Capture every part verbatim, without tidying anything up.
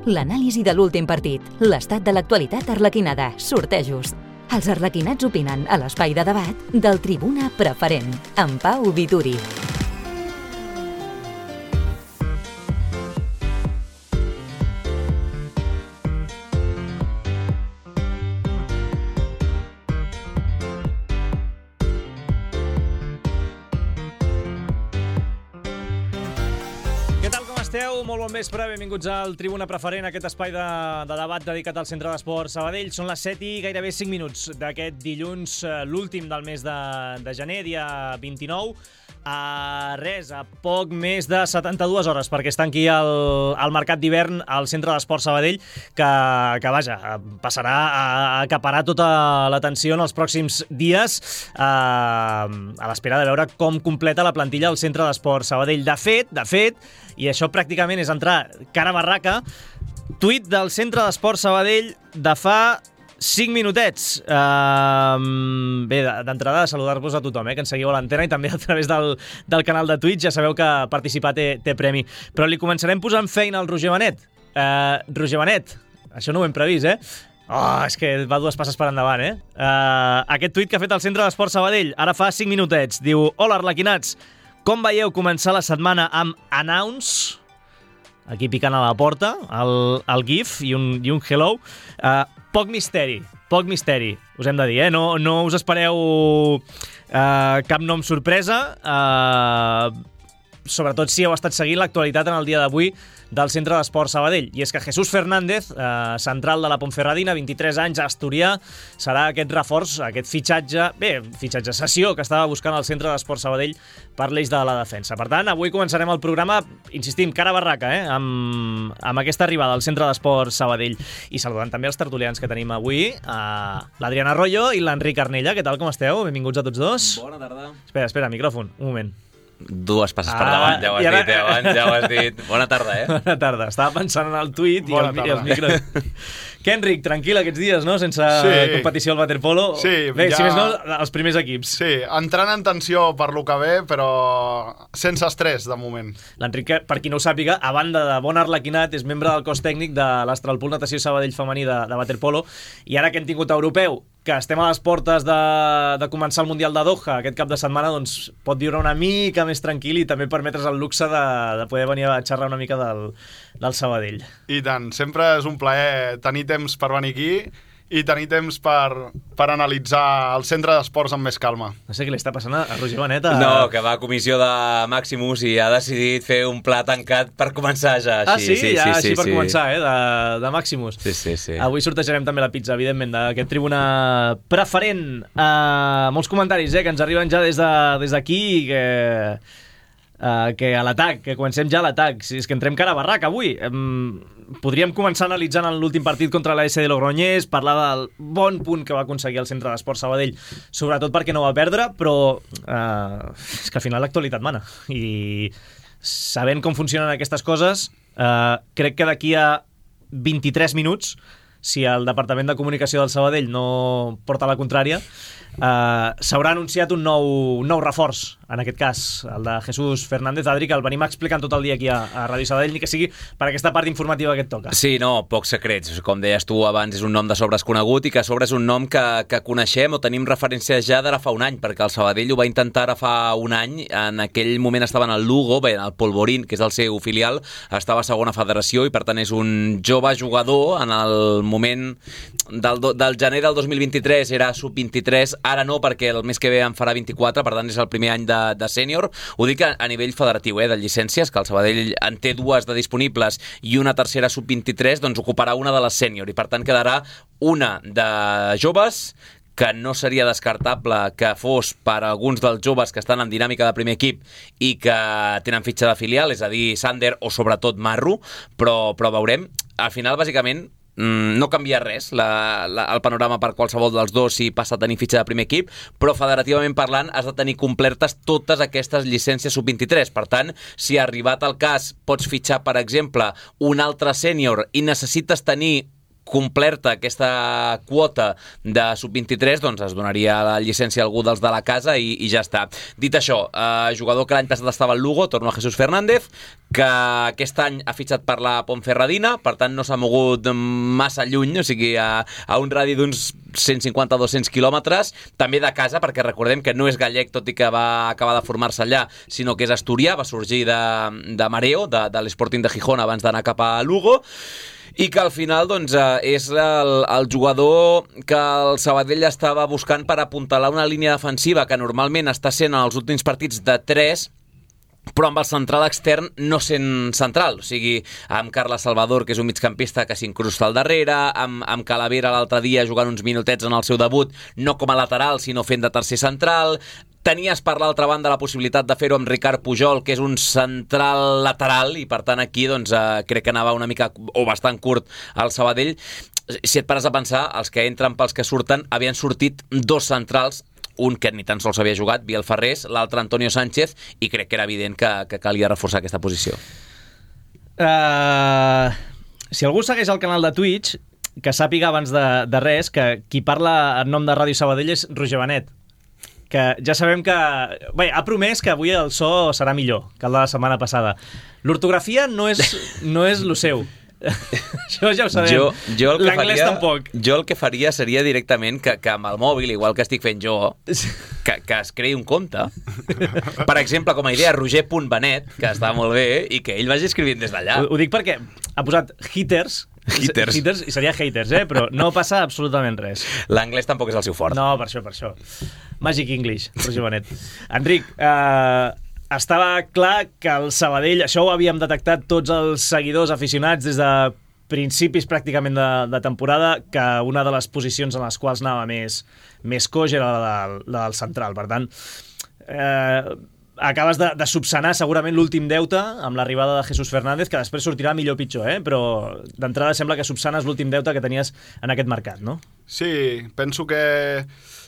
l'anàlisi de l'últim partit, l'estat de l'actualitat arlequinada, sortejos. Els arlequinats opinen a l'espai de debat del Tribuna Preferent, amb Pau Vituri. Molt bon vespre, benvinguts al Tribuna Preferent, aquest espai de, de debat dedicat al Centre d'Esports Sabadell. Són les set i gairebé cinc minuts d'aquest dilluns, l'últim del mes de, de gener, dia vint-i-nou. A res, a poc més de setanta-dues hores perquè està aquí el, el mercat d'hivern al Centre d'Esports Sabadell, que, que vaja, passarà a acaparar tota l'atenció en els pròxims dies eh, a l'espera de veure com completa la plantilla al Centre d'Esports Sabadell. De fet, de fet, i això pràcticament és entrar cara a barraca, tuit del Centre d'Esports Sabadell de fa cinc minutets. Uh, bé, d'entrada, saludar-vos a tothom, eh, que ens seguiu a l'antena i també a través del, del canal de Twitch. Ja sabeu que participar té, té premi. Però li començarem posant feina al Roger Benet. Uh, Roger Benet, això no ho hem previst, eh? Oh, és que va dues passes per endavant, eh? Uh, aquest tuit que ha fet el Centre d'Esports Sabadell, ara fa cinc minutets, diu: hola, arlequinats, com veieu començar la setmana amb announce? Aquí picant a la porta, el, el GIF i un, i un hello. Uh, poc misteri, poc misteri, us hem de dir, eh? No, no us espereu uh, cap nom sorpresa, uh, sobretot si heu estat seguint l'actualitat en el dia d'avui del Centre d'Esports Sabadell. I és que Jesús Fernández, eh, central de la Ponferradina, vint-i-tres anys, asturià, serà aquest reforç, aquest fitxatge, bé, fitxatge, sessió que estava buscant el Centre d'Esports Sabadell per l'eix de la defensa. Per tant, avui començarem el programa, insistim, cara a barraca, eh, amb, amb aquesta arribada al Centre d'Esports Sabadell. I saludant també els tertulians que tenim avui, eh, l'Adriana Arroyo i l'Enric Arnella. Què tal, com esteu? Benvinguts a tots dos. Bona tarda. Espera, espera, micròfon, un moment. Dues passes per davant, ja ho has ara... dit, eh, abans, ja ho has dit. Bona tarda, eh? Bona tarda. Estava pensant en el tuit i, el, i els micros. Què, Enric, tranquil aquests dies, no? Sense sí. competició al waterpolo. Sí, bé, ja... si més no, els primers equips. Sí, entrant en tensió per lo que ve, però sense estrès, de moment. L'Enric, per qui no ho sàpiga, a banda de bon arlequinat, és membre del cos tècnic de l'Astralpool Natació Sabadell femení de, de waterpolo, i ara que hem tingut europeu, que estem a les portes de, de començar el Mundial de Doha aquest cap de setmana, doncs pot viure una mica més tranquil i també permetre's el luxe de, de poder venir a xerrar una mica del, del Sabadell. I tant, sempre és un plaer tenir temps per venir aquí i tenir temps per, per analitzar el Centre d'Esports amb més calma. No sé què li està passant a Roger Benet. A... No, que va a comissió de Maximus i ha decidit fer un pla tancat per començar ja. Així. Ah, sí? sí, ja sí, així sí, per sí. començar, eh, de, de Maximus. Sí, sí, sí. Avui sortejarem també la pizza, evidentment, d'aquest Tribuna Preferent. Uh, molts comentaris, eh, que ens arriben ja des de, des d'aquí, que... Uh, que a l'atac, que comencem ja a l'atac. Si és que entrem cara a barraca avui. Um, podríem començar analitzant l'últim partit contra l'A S de Logroñés, parlar del bon punt que va aconseguir el Centre d'Esports Sabadell, sobretot perquè no va perdre, però uh, és que al final l'actualitat mana. I sabent com funcionen aquestes coses, uh, crec que d'aquí a vint-i-tres minuts, si el Departament de Comunicació del Sabadell no porta la contrària, Uh, s'haurà anunciat un nou, un nou reforç, en aquest cas el de Jesús Fernández. Adri, que el venim explicant tot el dia aquí a, a Ràdio Sabadell, ni que sigui per aquesta part informativa que et toca. Sí, no, pocs secrets. Com deies tu abans, és un nom de sobres conegut i que a sobre és un nom que, que coneixem o tenim referències ja d'ara fa un any, perquè el Sabadell ho va intentar ara fa un any. En aquell moment estava en el Lugo, bé, el Polvorín, que és el seu filial, estava a segona federació i per tant és un jove jugador. En el moment del, del gener del dos mil vint-i-tres era sub vint-i-tres, ara no, perquè el mes que ve en farà vint-i-quatre, per tant és el primer any de, de sènior. Ho dic a, a nivell federatiu, eh, de llicències, que el Sabadell en té dues de disponibles i una tercera sub vint-i-tres, doncs ocuparà una de les sènior i per tant quedarà una de joves, que no seria descartable que fos per alguns dels joves que estan en dinàmica de primer equip i que tenen fitxa de filial, és a dir, Sander o sobretot Marro, però, però veurem. Al final, bàsicament, no canvia res la, la, el panorama per qualsevol dels dos si passa a tenir fitxa de primer equip, però federativament parlant has de tenir complertes totes aquestes llicències sub vint-i-tres. Per tant, si ha arribat el cas pots fitxar, per exemple, un altre sènior i necessites tenir complerta aquesta quota de sub vint-i-tres, doncs es donaria la llicència a algú dels de la casa i, i ja està. Dit això, eh, jugador que l'any passat estava al Lugo, torno a Jesús Fernández, que aquest any ha fitxat per la Ponferradina, per tant no s'ha mogut massa lluny, o sigui, a, a un radi d'uns cent cinquanta a dos-cents quilòmetres, també de casa, perquè recordem que no és gallec, tot i que va acabar de formar-se allà, sinó que és asturià, va sorgir de, de Mareo, de, de l'Sporting de Gijón, abans d'anar cap a Lugo, i que al final doncs, és el, el jugador que el Sabadell estava buscant per apuntalar una línia defensiva que normalment està sent en els últims partits de tres, però amb el central extern no sent central, o sigui, amb Carles Salvador, que és un migcampista que s'incrusta al darrere, amb, amb Calavera l'altre dia jugant uns minutets en el seu debut, no com a lateral, sinó fent de tercer central. Tenies per l'altra banda la possibilitat de fer-ho amb Ricard Pujol, que és un central lateral, i per tant aquí doncs, eh, crec que anava una mica o bastant curt al Sabadell. Si et pares a pensar, els que entren pels que surten, havien sortit dos centrals, un que ni tan sols havia jugat, Biel Ferrés, l'altre Antonio Sánchez, i crec que era evident que, que calia reforçar aquesta posició. Uh, si algú segueix el canal de Twitch, que sàpiga abans de, de res que qui parla en nom de Ràdio Sabadell és Roger Benet, que ja sabem que... Bé, ha promès que avui el so serà millor que el de la setmana passada. L'ortografia no és, no és lo seu. Això ja ho sabem. Jo, jo el que L'anglès faria, tampoc. Jo el que faria seria directament que, que amb el mòbil, igual que estic fent jo, que, que es creï un compte. Per exemple, com a idea, roger punt benet, que està molt bé, i que ell vagi escrivint des d'allà. Ho, ho dic perquè ha posat hitters, Hitters. hitters i seria haters, eh? Però no passa absolutament res. L'anglès tampoc és el seu fort. No, per això, per això. Magic English, Roger Benet. Enric, eh, estava clar que el Sabadell, això ho havíem detectat tots els seguidors aficionats des de principis pràcticament de, de temporada, que una de les posicions en les quals anava més, més coix era la del, la del central. Per tant, eh, acabes de, de subsanar segurament l'últim deute amb l'arribada de Jesús Fernández, que després sortirà millor o pitjor, eh? Però d'entrada sembla que subsanes l'últim deute que tenies en aquest mercat, no? Sí, penso que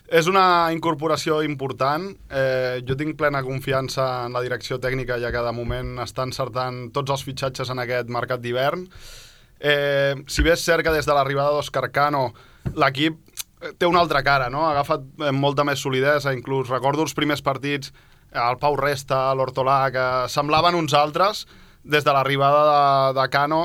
és una incorporació important. Eh, jo tinc plena confiança en la direcció tècnica, ja que de moment està encertant tots els fitxatges en aquest mercat d'hivern. Eh, si bé és cert que des de l'arribada d'Òscar Cano l'equip té una altra cara, no? Ha agafat molta més solidesa, inclús recordo els primers partits, el Pau Resta, l'Hortolà, que semblaven uns altres des de l'arribada de, de Cano.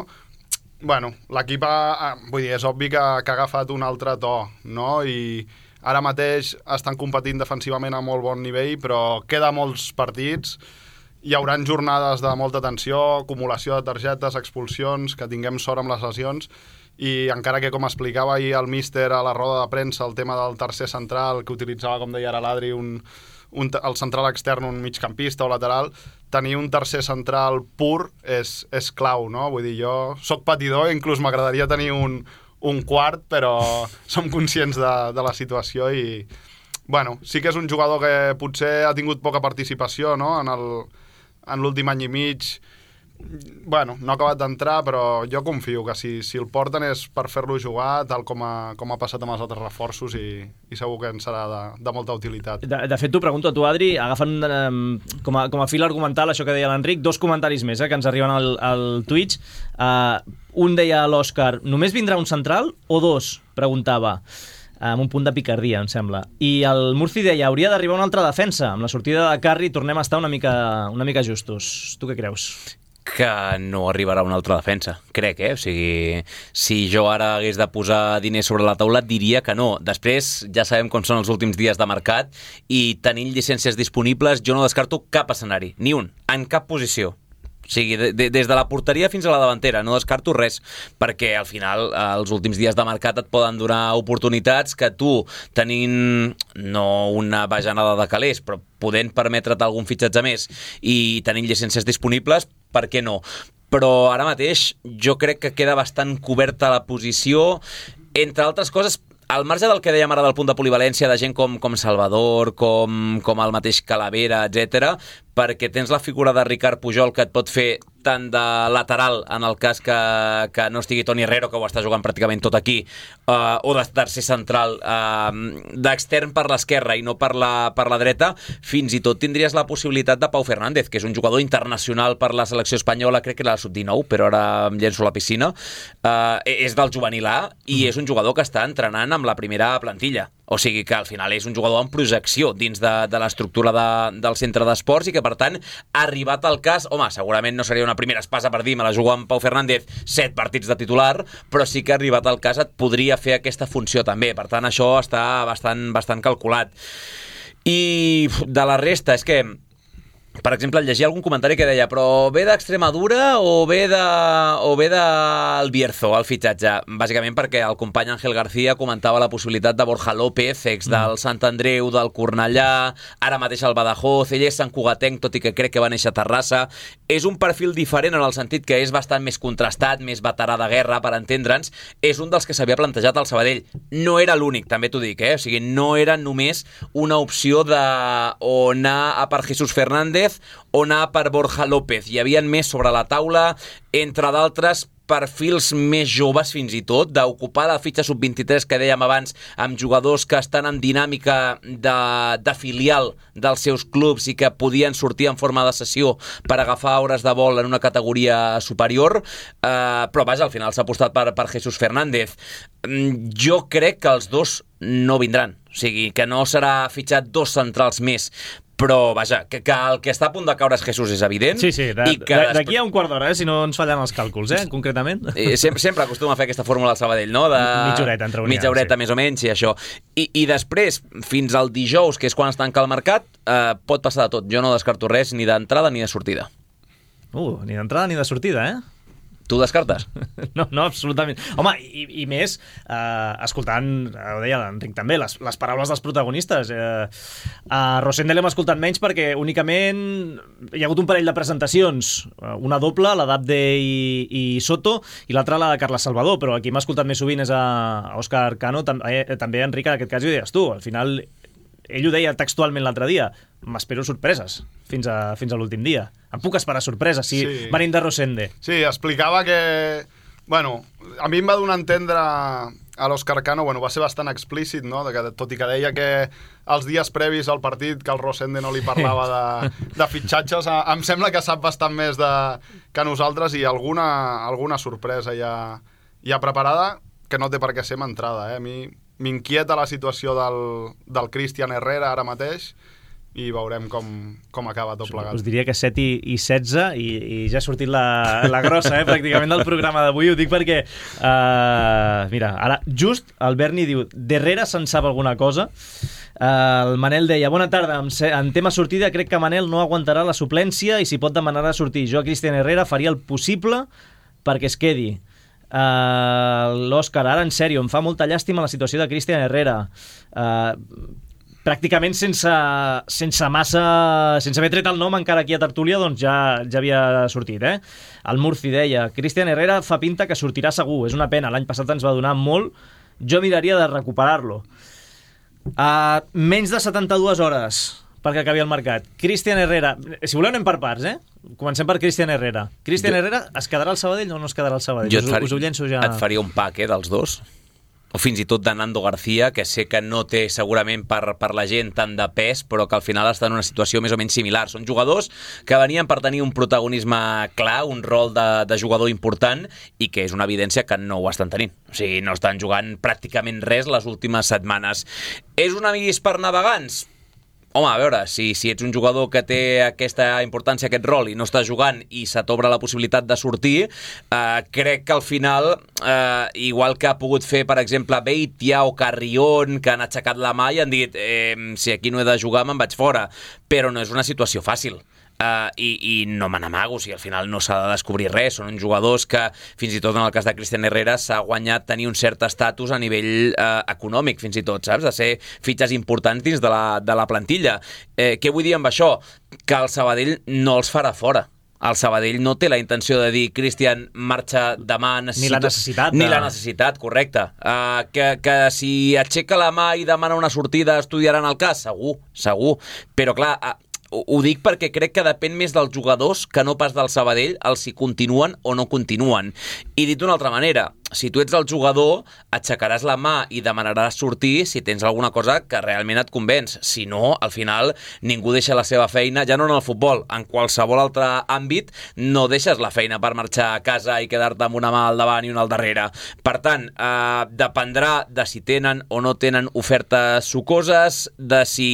Bueno, l'equip ha, vull dir, és obvi que, que ha agafat un altre to, no? I ara mateix estan competint defensivament a molt bon nivell, però queda molts partits, hi haurà jornades de molta tensió, acumulació de targetes, expulsions, que tinguem sort amb les lesions, i encara que, com explicava ahir el míster a la roda de premsa, el tema del tercer central, que utilitzava, com deia ara l'Adri, un, un, el central extern, un migcampista o lateral, tenir un tercer central pur és, és clau, no? Vull dir, jo soc patidor, inclús m'agradaria tenir un, un quart, però som conscients de, de la situació i, bueno, sí que és un jugador que potser ha tingut poca participació, no? En el, en l'últim any i mig, bueno, no ha acabat d'entrar, però jo confio que si, si el porten és per fer-lo jugar, tal com ha, com ha passat amb els altres reforços, i, i segur que en serà de, de molta utilitat. De, de fet, t'ho pregunto a tu, Adri, agafant um, com, a, com a fil argumental això que deia l'Enric, dos comentaris més eh, que ens arriben al, al Twitch. Uh, un deia a l'Òscar, només vindrà un central o dos? Preguntava, amb un punt de picardia, em sembla. I el Murci deia, hauria d'arribar una altra defensa. Amb la sortida de Carri tornem a estar una mica, una mica justos. Tu què creus? Que no arribarà una altra defensa, crec, eh? O sigui, si jo ara hagués de posar diners sobre la taula, diria que no. Després, ja sabem com són els últims dies de mercat, i tenint llicències disponibles, jo no descarto cap escenari, ni un, en cap posició. O sigui, de, de, des de la porteria fins a la davantera, no descarto res, perquè al final els últims dies de mercat et poden donar oportunitats que tu, tenint no una bajanada de calés, però podent permetre't algun fitxatge més i tenint llicències disponibles, per què no? Però ara mateix jo crec que queda bastant coberta la posició, entre altres coses, al marge del que dèiem ara del punt de polivalència de gent com, com Salvador, com, com el mateix Calavera, etcètera, perquè tens la figura de Ricard Pujol que et pot fer tant de lateral, en el cas que, que no estigui Toni Herrero, que ho està jugant pràcticament tot aquí, uh, o de tercer central, uh, d'extern per l'esquerra i no per la, per la dreta, fins i tot tindries la possibilitat de Pau Fernández, que és un jugador internacional per la selecció espanyola, crec que era la sub dinou, però ara em llenço a la piscina. Uh, és del juvenil A i mm. és un jugador que està entrenant amb la primera plantilla. O sigui que al final és un jugador en projecció dins de, de l'estructura de, del centre d'esports i que, per tant, ha arribat al cas... Home, segurament no seria una primera espasa per dir me la jugo amb Pau Fernández set partits de titular, però sí que ha arribat al cas et podria fer aquesta funció també. Per tant, això està bastant, bastant calculat. I de la resta, és que... Per exemple, llegia algun comentari que deia però ve d'Extremadura o ve de o ve del Bierzo, el fitxatge? Bàsicament perquè el company Ángel García comentava la possibilitat de Borja López, ex del Sant Andreu, del Cornellà, ara mateix al Badajoz, ell és santcugatenc, tot i que crec que va néixer a Terrassa. És un perfil diferent en el sentit que és bastant més contrastat, més veterà de guerra, per entendre'ns. És un dels que s'havia plantejat al Sabadell. No era l'únic, també t'ho dic, eh? O sigui, no era només una opció de o anar a per Jesús Fernández o anar per Borja López. Hi havia més sobre la taula, entre d'altres perfils més joves fins i tot, d'ocupar la fitxa sub vint-i-tres que dèiem abans, amb jugadors que estan en dinàmica de, de filial dels seus clubs i que podien sortir en forma de sessió per agafar hores de vol en una categoria superior, eh, però vaja, al final s'ha apostat per, per Jesús Fernández. Jo crec que els dos no vindran, o sigui, que no serà fitxat dos centrals més, però vaja, que, que el que està a punt de caure és Jesús és evident. Sí, sí, d'aquí a un quart d'hora, eh, si no ens fallen els càlculs, eh, concretament. Eh, sempre, sempre acostuma a fer aquesta fórmula al Sabadell, no? De... Mitja horeta, entre Mitja horeta, sí. Més o menys, i això. I, I després, fins al dijous, que és quan es tanca el mercat, eh, pot passar de tot. Jo no descarto res, ni d'entrada ni de sortida. Uh, ni d'entrada ni de sortida, eh? Tu descartes? No, no, absolutament. Home, i, i més, eh, escoltant, ho deia l'Enric també, les, les paraules dels protagonistes. Eh, a Rosende l'hem escoltat menys perquè únicament hi ha hagut un parell de presentacions, una doble, la d'Abde i, i Soto, i l'altra la de Carles Salvador, però aquí m'ha escoltat més sovint és a, a Òscar Cano, tam, eh, també Enric, en aquest cas ho deies tu, al final ell ho deia textualment l'altre dia, m'espero sorpreses fins a, fins a l'últim dia. Em puc esperar sorpreses si sí. Venim de Rosende. Sí, explicava que... Bueno, a mi em va donar a entendre a l'Òscar Cano, bueno, va ser bastant explícit, no? De que, tot i que deia que els dies previs al partit que el Rosende no li parlava de, de fitxatges, em sembla que sap bastant més de, que nosaltres i alguna, alguna sorpresa ja, ja preparada que no té per què ser m'entrada. Eh? A mi m'inquieta la situació del, del Cristian Herrera ara mateix i veurem com, com acaba tot plegat. Us diria que set i, i setze i, i ja ha sortit la, la grossa, eh, pràcticament del programa d'avui. Ho dic perquè, uh, mira, ara just el Berni diu Herrera se'n sap alguna cosa. Uh, el Manel deia, bona tarda, en, en tema sortida crec que Manel no aguantarà la suplència i si pot demanar a sortir. Jo a Cristian Herrera faria el possible perquè es quedi. Uh, l'Òscar, ara en sèrio, em fa molta llàstima la situació de Cristian Herrera. Uh, pràcticament sense, sense massa... sense haver tret el nom encara aquí a Tertúlia, doncs ja, ja havia sortit, eh? El Murci deia, Cristian Herrera fa pinta que sortirà segur, és una pena, l'any passat ens va donar molt, jo miraria de recuperar-lo. Uh, menys de setanta-dues hores perquè acabi el mercat. Cristian Herrera, si voleu anem per parts, eh? Comencem per Cristian Herrera. Cristian jo... Herrera es quedarà al Sabadell o no es quedarà al Sabadell? Jo et, fari... us, us ho llenço ja... et faria un pack, eh, dels dos. O fins i tot de Nando García, que sé que no té segurament per, per la gent tant de pes, però que al final està en una situació més o menys similar. Són jugadors que venien per tenir un protagonisme clar, un rol de, de jugador important, i que és una evidència que no ho estan tenint. O sigui, no estan jugant pràcticament res les últimes setmanes. És un avis per navegants? Home, a veure, si, si ets un jugador que té aquesta importància, aquest rol, i no està jugant i se t'obre la possibilitat de sortir, eh, crec que al final, eh, igual que ha pogut fer, per exemple, Beitia o Carrión, que han aixecat la mà i han dit eh, si aquí no he de jugar me'n vaig fora, però no és una situació fàcil. Uh, i, i no me n'amago, o sigui, al final no s'ha de descobrir res, són uns jugadors que fins i tot en el cas de Cristian Herrera s'ha guanyat tenir un cert estatus a nivell uh, econòmic, fins i tot, saps? De ser fitxes importants dins de la, de la plantilla. Eh, què vull dir amb això? Que el Sabadell no els farà fora. El Sabadell no té la intenció de dir Cristian marxa demà, necessito... Ni la necessitat. Ni la necessitat, correcte. Uh, que, que si aixeca la mà i demana una sortida estudiaran el cas, segur, segur. Però clar... Uh, ho dic perquè crec que depèn més dels jugadors que no pas del Sabadell el si continuen o no continuen. I dit d'una altra manera, si tu ets el jugador, aixecaràs la mà i demanaràs sortir si tens alguna cosa que realment et convenç. Si no, al final, ningú deixa la seva feina, ja no en el futbol, en qualsevol altre àmbit, no deixes la feina per marxar a casa i quedar-te amb una mà al davant i una al darrere. Per tant, eh, dependrà de si tenen o no tenen ofertes sucoses, de si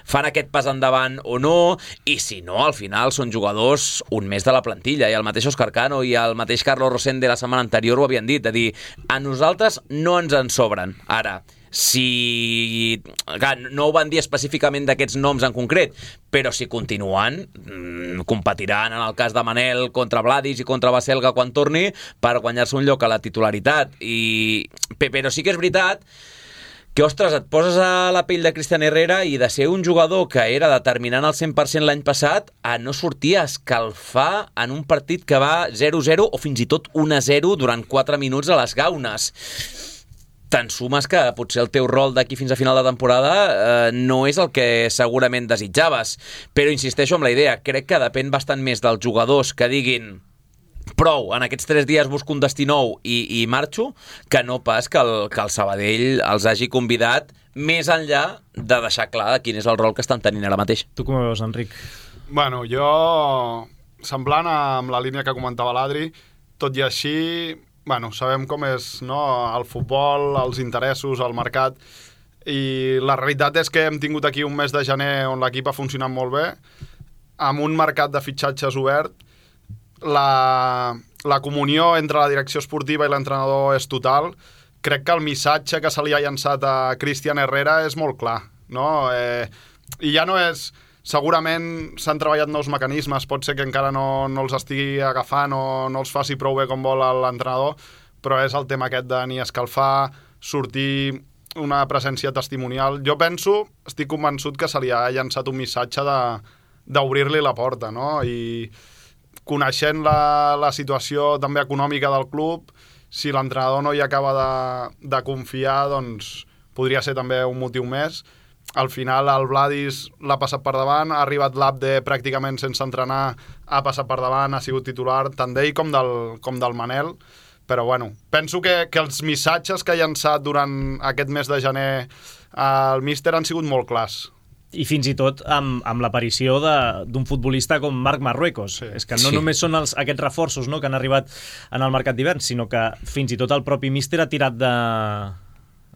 fan aquest pas endavant o no, i si no, al final són jugadors un mes de la plantilla, i el mateix Òscar Cano i el mateix Carlos Rosende la setmana anterior ho havien dit, de dir, a nosaltres no ens en sobren. Ara, si... Clar, no ho van dir específicament d'aquests noms en concret, però si continuen, competiran en el cas de Manel contra Vladis i contra Baselga quan torni per guanyar-se un lloc a la titularitat. I... Però sí que és veritat que, ostres, et poses a la pell de Cristian Herrera i de ser un jugador que era determinant al cent per cent l'any passat a no sortir a escalfar en un partit que va zero zero o fins i tot un a zero durant quatre minuts a les gaunes. Te'n sumes que potser el teu rol d'aquí fins a final de temporada eh, no és el que segurament desitjaves. Però insisteixo amb la idea, crec que depèn bastant més dels jugadors que diguin prou, en aquests tres dies busco un destí nou i, i marxo, que no pas que el, que el Sabadell els hagi convidat més enllà de deixar clar quin és el rol que estan tenint ara mateix. Tu com ho veus, Enric? Bueno, jo, semblant amb la línia que comentava l'Adri, tot i així, bueno, sabem com és, no?, el futbol, els interessos, el mercat, i la realitat és que hem tingut aquí un mes de gener on l'equip ha funcionat molt bé, amb un mercat de fitxatges obert. La, la comunió entre la direcció esportiva i l'entrenador és total. Crec que el missatge que se li ha llançat a Cristian Herrera és molt clar, no? Eh, I ja no és... Segurament s'han treballat nous mecanismes, pot ser que encara no, no els estigui agafant o no els faci prou bé com vol l'entrenador, però és el tema aquest de ni escalfar, sortir, una presència testimonial. Jo penso, estic convençut que se li ha llançat un missatge de, d'obrir-li la porta, no? I coneixent la, la situació també econòmica del club, si l'entrenador no hi acaba de, de confiar, doncs podria ser també un motiu més. Al final el Vladis l'ha passat per davant, ha arribat l'Abde pràcticament sense entrenar, ha passat per davant, ha sigut titular tant d'ell com del, com del Manel, però bueno, penso que, que els missatges que ha llançat durant aquest mes de gener el míster han sigut molt clars. I fins i tot amb, amb l'aparició d'un futbolista com Marc Marruecos. Sí. És que no sí. només són els, aquests reforços, no?, que han arribat en el mercat d'hivern, sinó que fins i tot el propi míster ha tirat de,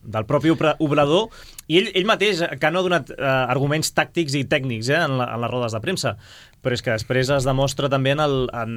del propi obrador, i ell, ell mateix, que no ha donat eh, arguments tàctics i tècnics eh, en, la, en les rodes de premsa, però és que després es demostra també en el, en,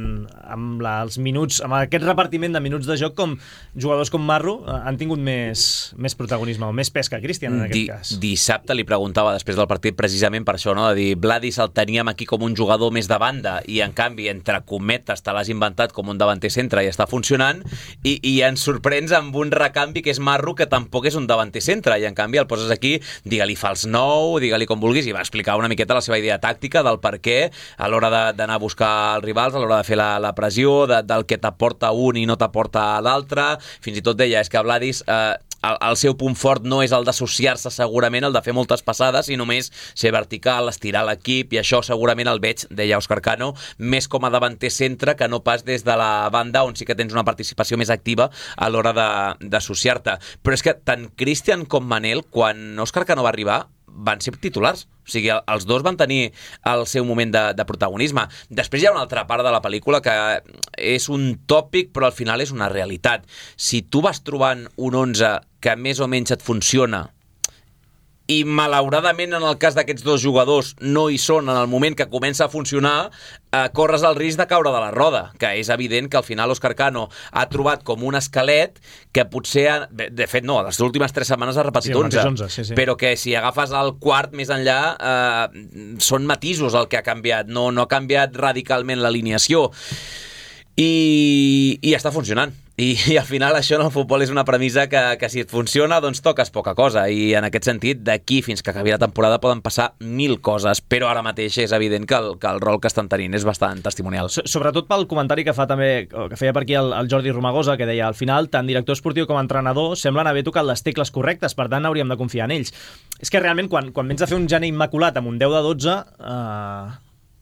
amb la, els minuts, amb aquest repartiment de minuts de joc, com jugadors com Marro eh, han tingut més, més protagonisme, o més pes que Cristian en aquest Di, cas. Dissabte li preguntava després del partit precisament per això, no?, de dir, Vladis el teníem aquí com un jugador més de banda i en canvi, entre cometes, te l'has inventat com un davanter centre i està funcionant, i, i ens sorprens amb un recanvi que és Marro, que tampoc és un davanter centre, i en canvi el poses aquí, digue-li fals nou, digue-li com vulguis, i va explicar una miqueta la seva idea tàctica del per què a l'hora d'anar a buscar els rivals, a l'hora de fer la, la pressió, de, del que t'aporta un i no t'aporta l'altre. Fins i tot deia, és que Vladis, eh, el, el seu punt fort no és el d'associar-se segurament, el de fer moltes passades, i només ser vertical, estirar l'equip, i això segurament el veig, deia Òscar Cano, més com a davanter centre que no pas des de la banda on sí que tens una participació més activa a l'hora d'associar-te. Però és que tant Cristian com Manel, quan Òscar Cano va arribar, van ser titulars. O sigui, els dos van tenir el seu moment de, de protagonisme. Després hi ha una altra part de la pel·lícula que és un tòpic, però al final és una realitat. Si tu vas trobant un onze que més o menys et funciona i malauradament en el cas d'aquests dos jugadors no hi són en el moment que comença a funcionar, eh, corres el risc de caure de la roda, que és evident que al final Òscar Cano ha trobat com un esquelet que potser, ha, de fet no, les últimes tres setmanes ha repetit sí, onze, onze sí, sí. Però que si agafes el quart més enllà eh, són matisos el que ha canviat, no, no ha canviat radicalment l'alineació. I, i està funcionant. I, I al final això en el futbol és una premissa que, que si et funciona, doncs toques poca cosa. I en aquest sentit, d'aquí fins que acabi la temporada poden passar mil coses, però ara mateix és evident que el, que el rol que estan tenint és bastant testimonial. Sobretot pel comentari que fa també, que feia per aquí el, el Jordi Romagosa, que deia, al final, tant director esportiu com entrenador semblen haver tocat les tecles correctes, per tant hauríem de confiar en ells. És que realment, quan, quan vens a fer un gener immaculat amb un deu de dotze, eh,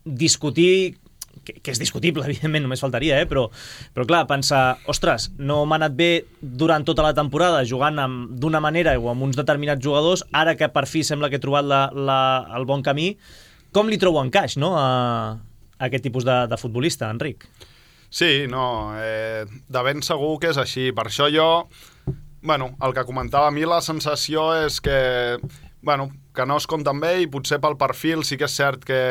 discutir... Que, que és discutible, evidentment, només faltaria, eh? però, però clar, pensar, ostres, no m'ha anat bé durant tota la temporada jugant d'una manera o amb uns determinats jugadors, ara que per fi sembla que he trobat la, la, el bon camí, com li trobo encaix, no?, a, a aquest tipus de, de futbolista, Enric? Sí, no, eh, de ben segur que és així. Per això jo, bueno, el que comentava a mi, la sensació és que, bueno, que no es compten bé i potser pel perfil sí que és cert que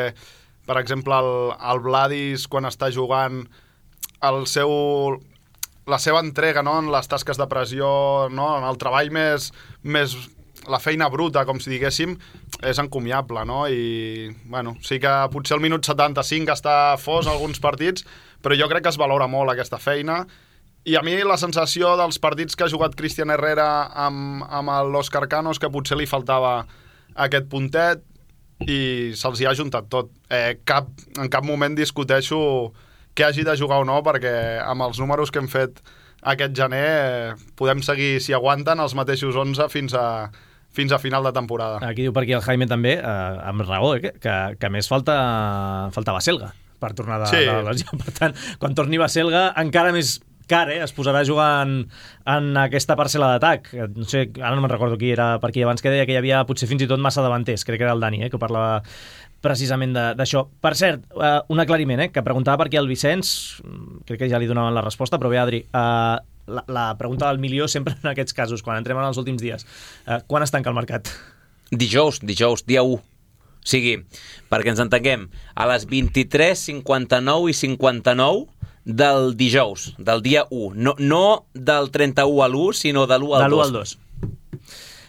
per exemple, el, el Vladis, quan està jugant, el seu, la seva entrega, no?, en les tasques de pressió, no?, en el treball més, més... la feina bruta, com si diguéssim, és encomiable, no? I, bueno, sí que potser el minut setanta-cinc està fos alguns partits, però jo crec que es valora molt aquesta feina. I a mi la sensació dels partits que ha jugat Cristian Herrera amb, amb l'Òscar Cano és que potser li faltava aquest puntet, i se'ls hi ha juntat tot. Eh, cap, en cap moment discuteixo que hagi de jugar o no, perquè amb els números que hem fet aquest gener eh, podem seguir, si aguanten, els mateixos onze fins a, fins a final de temporada. Aquí diu per aquí el Jaime també, eh, amb raó, eh, que, que més falta, falta Baselga per tornar de, sí. de la lesió. Per tant, quan torni Baselga, encara més car, eh? Es posarà a jugar en, en aquesta parcel·la d'atac. No sé, ara no me'n recordo qui era per aquí abans, que deia que hi havia potser fins i tot massa davanters, crec que era el Dani, eh? Que parlava precisament d'això. Per cert, uh, un aclariment, eh? Que preguntava per aquí el Vicenç, crec que ja li donaven la resposta, però bé, Adri, uh, la, la pregunta del milió sempre en aquests casos, quan entrem en els últims dies. Uh, quan es tanca el mercat? Dijous, dijous, dia u. O sigui, perquè ens entenguem, a les vint-i-tres cinquanta-nou i cinquanta-nou del dijous, del dia u. No, no del trenta-u a l'u, sinó de l'u al dos. De l'u al dos.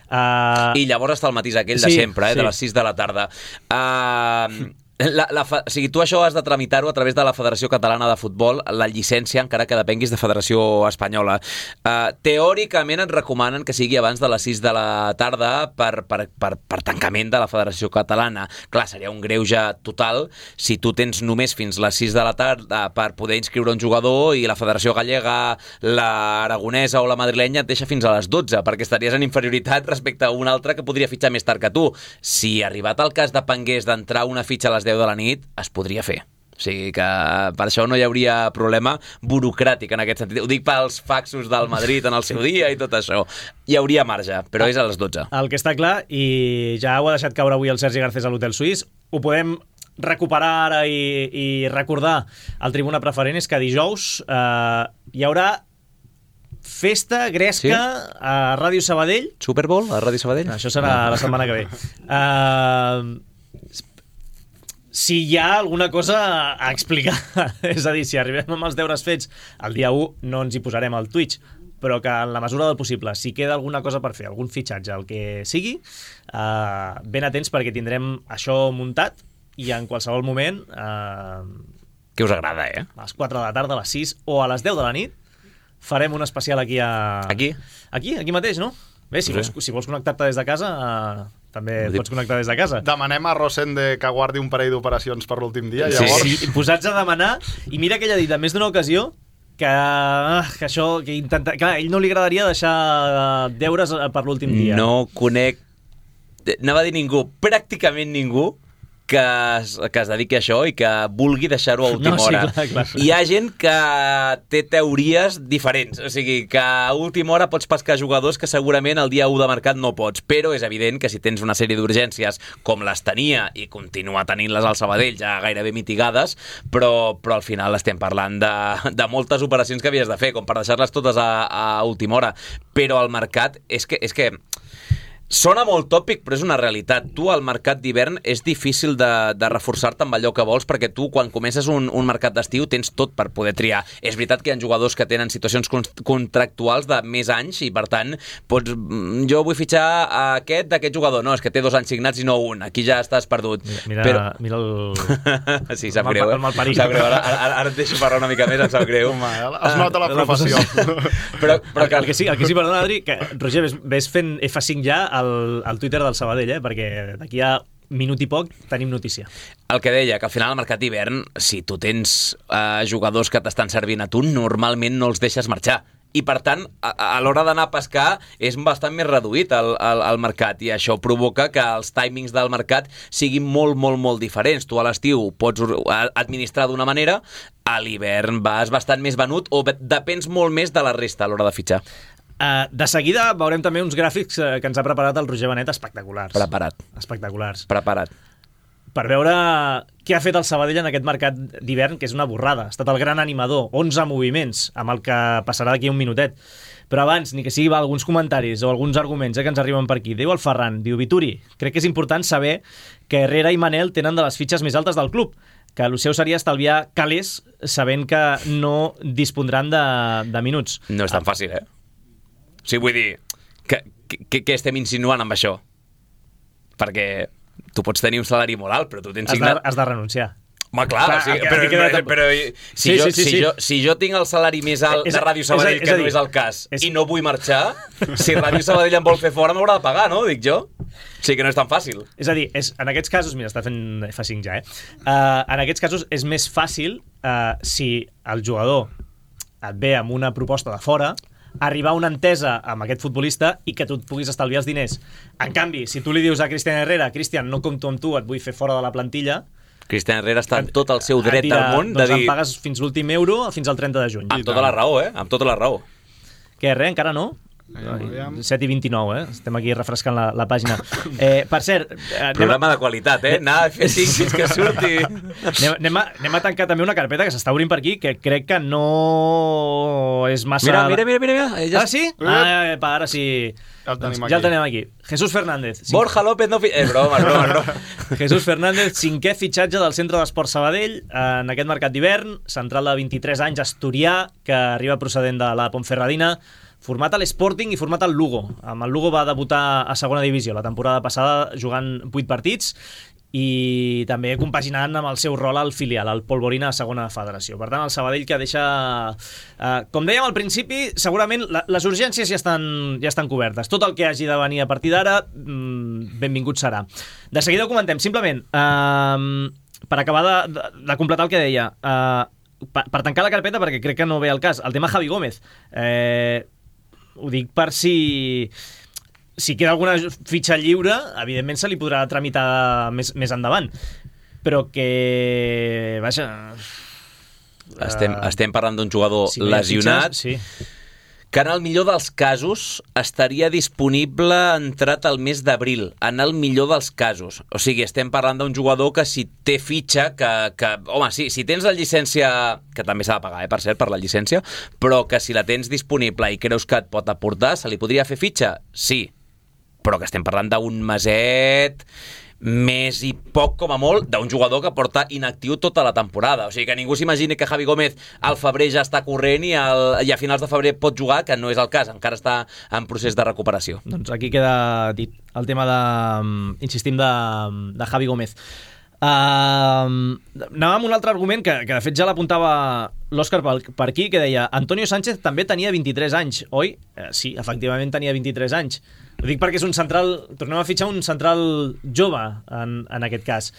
Uh... I llavors està el matís aquell sí, de sempre, eh, sí. de les sis de la tarda. Uh, la, la, o sigui, tu això has de tramitar-ho a través de la Federació Catalana de Futbol, la llicència, encara que depenguis de Federació Espanyola. Uh, teòricament et recomanen que sigui abans de les sis de la tarda per, per, per, per tancament de la Federació Catalana. Clar, seria un greuge total si tu tens només fins les sis de la tarda per poder inscriure un jugador i la Federació Gallega, la aragonesa o la madrilenya et deixa fins a les dotze, perquè estaries en inferioritat respecte a un altre que podria fitxar més tard que tu. Si arribat el cas depengués d'entrar una fitxa a les deu de la nit, es podria fer. O sigui que per això no hi hauria problema burocràtic en aquest sentit. Ho dic pels faxos del Madrid en el seu dia i tot això. Hi hauria marge, però és a les dotze. El que està clar, i ja ho ha deixat caure avui el Sergi Garcés a l'Hotel Suís, ho podem recuperar ara i, i recordar al Tribuna Preferent, és que dijous eh, hi haurà festa gresca sí? a Ràdio Sabadell. Super Bowl a Ràdio Sabadell? Això serà la setmana que ve. Uh, si hi ha alguna cosa a explicar, és a dir, si arribem amb els deures fets el dia u, no ens hi posarem al Twitch, però que en la mesura del possible, si queda alguna cosa per fer, algun fitxatge, el que sigui, uh, ben atents perquè tindrem això muntat i en qualsevol moment uh, que us agrada, eh? A les quatre de la tarda, a les sis o a les deu de la nit farem un especial aquí a... Aquí? Aquí, aquí mateix, no? Bé, si, sí. vols, si vols connectar-te des de casa, uh, també et pots connectar des de casa. Demanem a Rosende que guardi un parell d'operacions per l'últim dia, sí. llavors... Sí, posats a demanar, i mira que ell ha dit en més d'una ocasió que, que això, que intenta... Clar, a ell no li agradaria deixar deures per l'últim dia. No conec... Anava a dir ningú, pràcticament ningú, que es, que es dediqui a això i que vulgui deixar-ho a última no, sí, hora. Clar, clar. Hi ha gent que té teories diferents, o sigui, que a última hora pots pescar jugadors que segurament el dia u de mercat no pots, però és evident que si tens una sèrie d'urgències com les tenia i continua tenint-les al Sabadell ja gairebé mitigades, però, però al final estem parlant de, de moltes operacions que havies de fer, com per deixar-les totes a, a última hora. Però el mercat és que... És que Sona molt tòpic, però és una realitat. Tu, al mercat d'hivern, és difícil de, de reforçar-te amb allò que vols, perquè tu, quan comences un, un mercat d'estiu, tens tot per poder triar. És veritat que hi ha jugadors que tenen situacions contractuals de més anys i, per tant, pots, jo vull fitxar a aquest d'aquest jugador. No, és que té dos anys signats i no un. Aquí ja estàs perdut. Mira, però... mira el... sí, sap el greu, mal, eh? el malparit. Sap greu. Ara, ara, ara et deixo parlar una mica més, em sap greu. Home, es nota la professió. però, però que... El, que sí, el que sí, perdona, Adri, que, Roger, ves, ves fent F cinc ja al, al Twitter del Sabadell, eh? Perquè d'aquí a minut i poc tenim notícia. El que deia, que al final al mercat d'hivern, si tu tens uh, jugadors que t'estan servint a tu, normalment no els deixes marxar. I, per tant, a, a l'hora d'anar a pescar és bastant més reduït el, el, el mercat, i això provoca que els timings del mercat siguin molt, molt, molt diferents. Tu a l'estiu pots administrar d'una manera, a l'hivern vas bastant més venut o depens molt més de la resta a l'hora de fitxar. Uh, de seguida veurem també uns gràfics uh, que ens ha preparat el Roger Benet espectaculars. Preparat. Espectaculars. Preparat. Per veure què ha fet el Sabadell en aquest mercat d'hivern, que és una borrada. Ha estat el gran animador, onze moviments, amb el que passarà d'aquí un minutet. Però abans, ni que sigui va, alguns comentaris o alguns arguments eh, que ens arriben per aquí. Diu el Ferran, diu Vituri, crec que és important saber que Herrera i Manel tenen de les fitxes més altes del club, que el seu seria estalviar calés sabent que no dispondran de, de minuts. No és tan fàcil, eh? O sigui, vull dir, que, que, que estem insinuant amb això? Perquè tu pots tenir un salari molt alt, però tu tens signat... Has de, has de renunciar. Home, clar, clar o sigui, però, però, però, però si, sí, jo, sí, sí, si, sí. jo, si jo tinc el salari més alt és, de Ràdio Sabadell, és, és, que és no dir, és el cas, és... i no vull marxar, si Ràdio Sabadell em vol fer fora, m'haurà de pagar, no? Dic jo. O sigui que no és tan fàcil. És a dir, és, en aquests casos, mira, està fent F cinc ja, eh? Uh, en aquests casos és més fàcil uh, si el jugador et ve amb una proposta de fora, arribar a una entesa amb aquest futbolista i que tu et puguis estalviar els diners. En canvi, si tu li dius a Cristian Herrera, Cristian, no compto amb tu, et vull fer fora de la plantilla, Cristian Herrera està en tot el seu dret dirà, del món de doncs dir... em pagues fins l'últim euro, fins al trenta de juny. Amb tota la raó, eh? Amb tota la raó. Què, res, encara no? set i vint-i-nou, eh? Estem aquí refrescant la, la pàgina. Eh, per cert... Eh, Programa a... de qualitat, eh? Anar a fer cinc fins que surti. Anem, anem, a, anem a tancar també una carpeta que s'està obrint per aquí, que crec que no és massa... Mira, mira, mira, mira. Ja... Ah, sí? Ah, eh, ara sí... Ja el tenim, ja el tenim aquí. Jesús Fernández. Cinc... Borja López no... Fi... Eh, broma, broma, broma. Jesús Fernández, cinquè fitxatge del Centre d'Esport Sabadell en aquest mercat d'hivern, central de vint-i-tres anys, asturià, que arriba procedent de la Ponferradina, format a l'Sporting i format al Lugo. Amb el Lugo va debutar a segona divisió la temporada passada jugant vuit partits i també compaginant amb el seu rol al filial, al Polvorina a segona federació. Per tant, el Sabadell que deixa... Eh, com dèiem al principi, segurament la, les urgències ja estan, ja estan cobertes. Tot el que hagi de venir a partir d'ara, mmm, benvingut serà. De seguida ho comentem. Simplement, eh, per acabar de, de, de completar el que deia, eh, per, per tancar la carpeta, perquè crec que no ve al cas, el tema Javi Gómez. Eh, ho dic per si... Si queda alguna fitxa lliure, evidentment se li podrà tramitar més, més endavant. Però que... Vaja... Estem, uh, estem parlant d'un jugador si lesionat, fitxes, sí. que en el millor dels casos estaria disponible entrat al mes d'abril, en el millor dels casos. O sigui, estem parlant d'un jugador que si té fitxa, que, que home, sí, si tens la llicència, que també s'ha de pagar, eh, per cert, per la llicència, però que si la tens disponible i creus que et pot aportar, se li podria fer fitxa? Sí, però que estem parlant d'un meset més i poc com a molt d'un jugador que porta inactiu tota la temporada. O sigui, que ningú s'imagini que Javi Gómez al febrer ja està corrent i, al, i a finals de febrer pot jugar, que no és el cas, encara està en procés de recuperació. Doncs aquí queda dit el tema de, insistim, de, de Javi Gómez. Uh, anàvem amb un altre argument que, que de fet ja l'apuntava l'Òscar per, per aquí, que deia Antonio Sánchez també tenia vint-i-tres anys, oi? Eh, sí, efectivament tenia vint-i-tres anys. Ho dic perquè és un central, tornem a fitxar un central jove en, en aquest cas.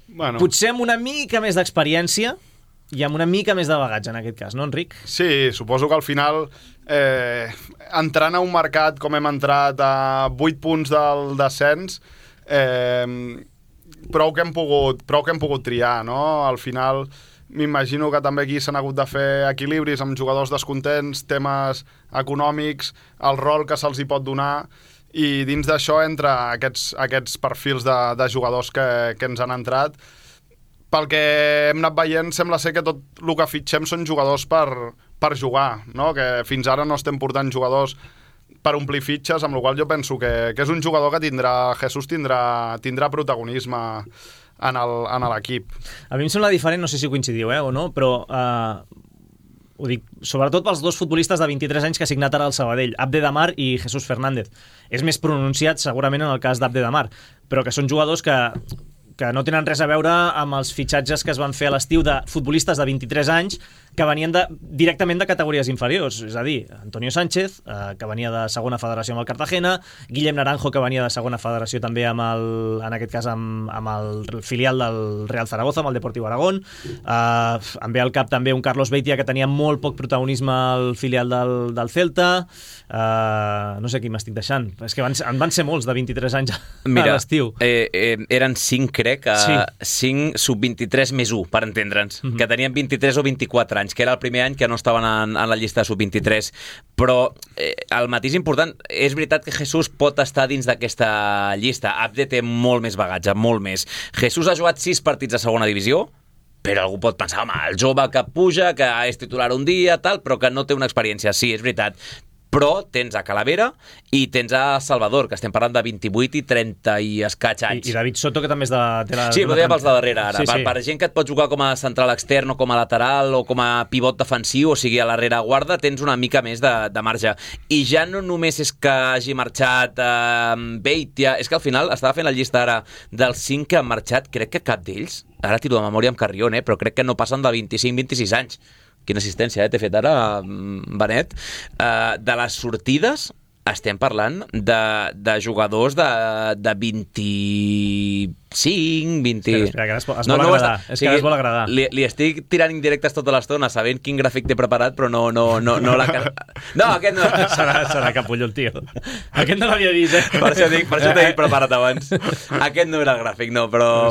Bueno. Potser amb una mica més d'experiència i amb una mica més de bagatge en aquest cas, no, Enric? Sí, suposo que al final eh, entrant a un mercat com hem entrat a vuit punts del descens, eh, prou que hem pogut, prou que hem pogut triar, no? Al final m'imagino que també aquí s'han hagut de fer equilibris amb jugadors descontents, temes econòmics, el rol que se'ls hi pot donar, i dins d'això entra aquests, aquests perfils de, de jugadors que, que ens han entrat. Pel que hem anat veient, sembla ser que tot el que fitxem són jugadors per, per jugar, no? Que fins ara no estem portant jugadors per omplir fitxes, amb la qual jo penso que, que és un jugador que tindrà, Jesús tindrà, tindrà protagonisme en l'equip. A mi em sembla diferent, no sé si coincidiu eh, o no, però eh, ho dic, sobretot pels dos futbolistes de vint-i-tres anys que ha signat ara el Sabadell, Abde Damar i Jesús Fernández. És més pronunciat segurament en el cas d'Abde Damar, però que són jugadors que que no tenen res a veure amb els fitxatges que es van fer a l'estiu de futbolistes de vint-i-tres anys que venien de, directament de categories inferiors, és a dir, Antonio Sánchez, eh, que venia de segona federació amb el Cartagena, Guillem Naranjo, que venia de segona federació també amb el, en aquest cas amb, amb el filial del Real Zaragoza, amb el Deportiu Aragón, eh, em ve al cap també un Carlos Beitia que tenia molt poc protagonisme al filial del, del Celta, eh, no sé qui m'estic deixant, és que van, en van ser molts de vint-i-tres anys a, Mira, a l'estiu. Eh, eh, eren cinc, crec, a sí. cinc sub vint-i-tres més u, per entendre'ns, mm-hmm. que tenien vint-i-tres o vint-i-quatre anys, que era el primer any que no estaven en, en la llista de sub vint-i-tres. Però eh, el matís important, és veritat que Jesús pot estar dins d'aquesta llista. Abde té molt més bagatge, molt més. Jesús ha jugat sis partits a segona divisió, però algú pot pensar, home, el jove que puja, que és titular un dia, tal, però que no té una experiència. Sí, és veritat. Però tens a Calavera i tens a Salvador, que estem parlant de vint-i-vuit i trenta i escaig anys. I, i David Soto, que també és de... de la, sí, però deia pels de darrere, ara. Sí, per, sí. per gent que et pot jugar com a central extern o com a lateral o com a pivot defensiu, o sigui, a la rereguarda tens una mica més de, de marge. I ja no només és que hagi marxat eh, Beitia, és que al final estava fent la llista ara dels cinc que han marxat, crec que cap d'ells, ara tiro de memòria amb Carrion, eh, però crec que no passen de vint-i-cinc a vint-i-sis anys. Quina assistència, eh, t'he fet ara, Benet. Uh, de les sortides estem parlant de, de jugadors de, de vint-i-cinc, vint... Espera, espera, que es, es no, vol no agradar. Està... És que es vol agradar. Li, li estic tirant indirectes tota l'estona, sabent quin gràfic t'he preparat, però no... No, no, no, la... no aquest no... serà, serà capullo el tio. Aquest no l'havia vist, eh? Per això, dic, per això t'he dit preparat abans. Aquest no era el gràfic, no, però...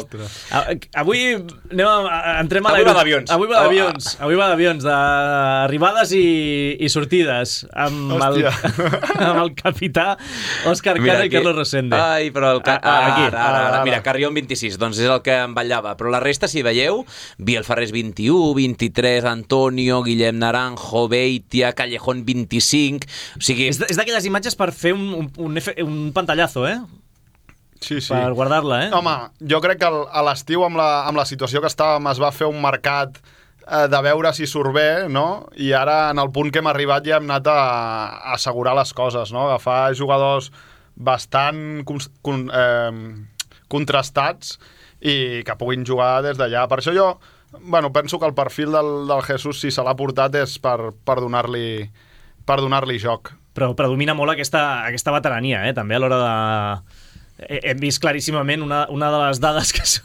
Avui anem a, entrem a Avui va d'avions. Avui va d'avions. Avui va d'avions, d'arribades i, i sortides. Amb el, amb el capità Òscar Cano i Carlos Rosende. Ai, però el... Ah, ah, aquí. Ara, ara, ara. Mira, Carrion vint-i-sis, doncs és el que em vetllava. Però la resta, si veieu, Biel Ferrés vint-i-u, vint-i-tres, Antonio, Guillem Naranjo, Beitia, Callejón vint-i-cinc... O sigui... És, és d'aquelles imatges per fer un, un, un, un pantallazo, eh? Sí, sí. Per guardar-la, eh? Home, jo crec que a l'estiu, amb, la, amb la situació que estàvem, es va fer un mercat eh, de veure si surt bé, no? I ara, en el punt que hem arribat, ja hem anat a, a assegurar les coses, no? Agafar jugadors bastant con, con, eh, contrastats i que puguin jugar des d'allà. Per això jo, bueno, penso que el perfil del, del Jesús, si se l'ha portat, és per, per donar-li per donar-li joc. Però predomina molt aquesta, aquesta veterania, eh? També a l'hora de... Hem vist claríssimament una, una de les dades que són...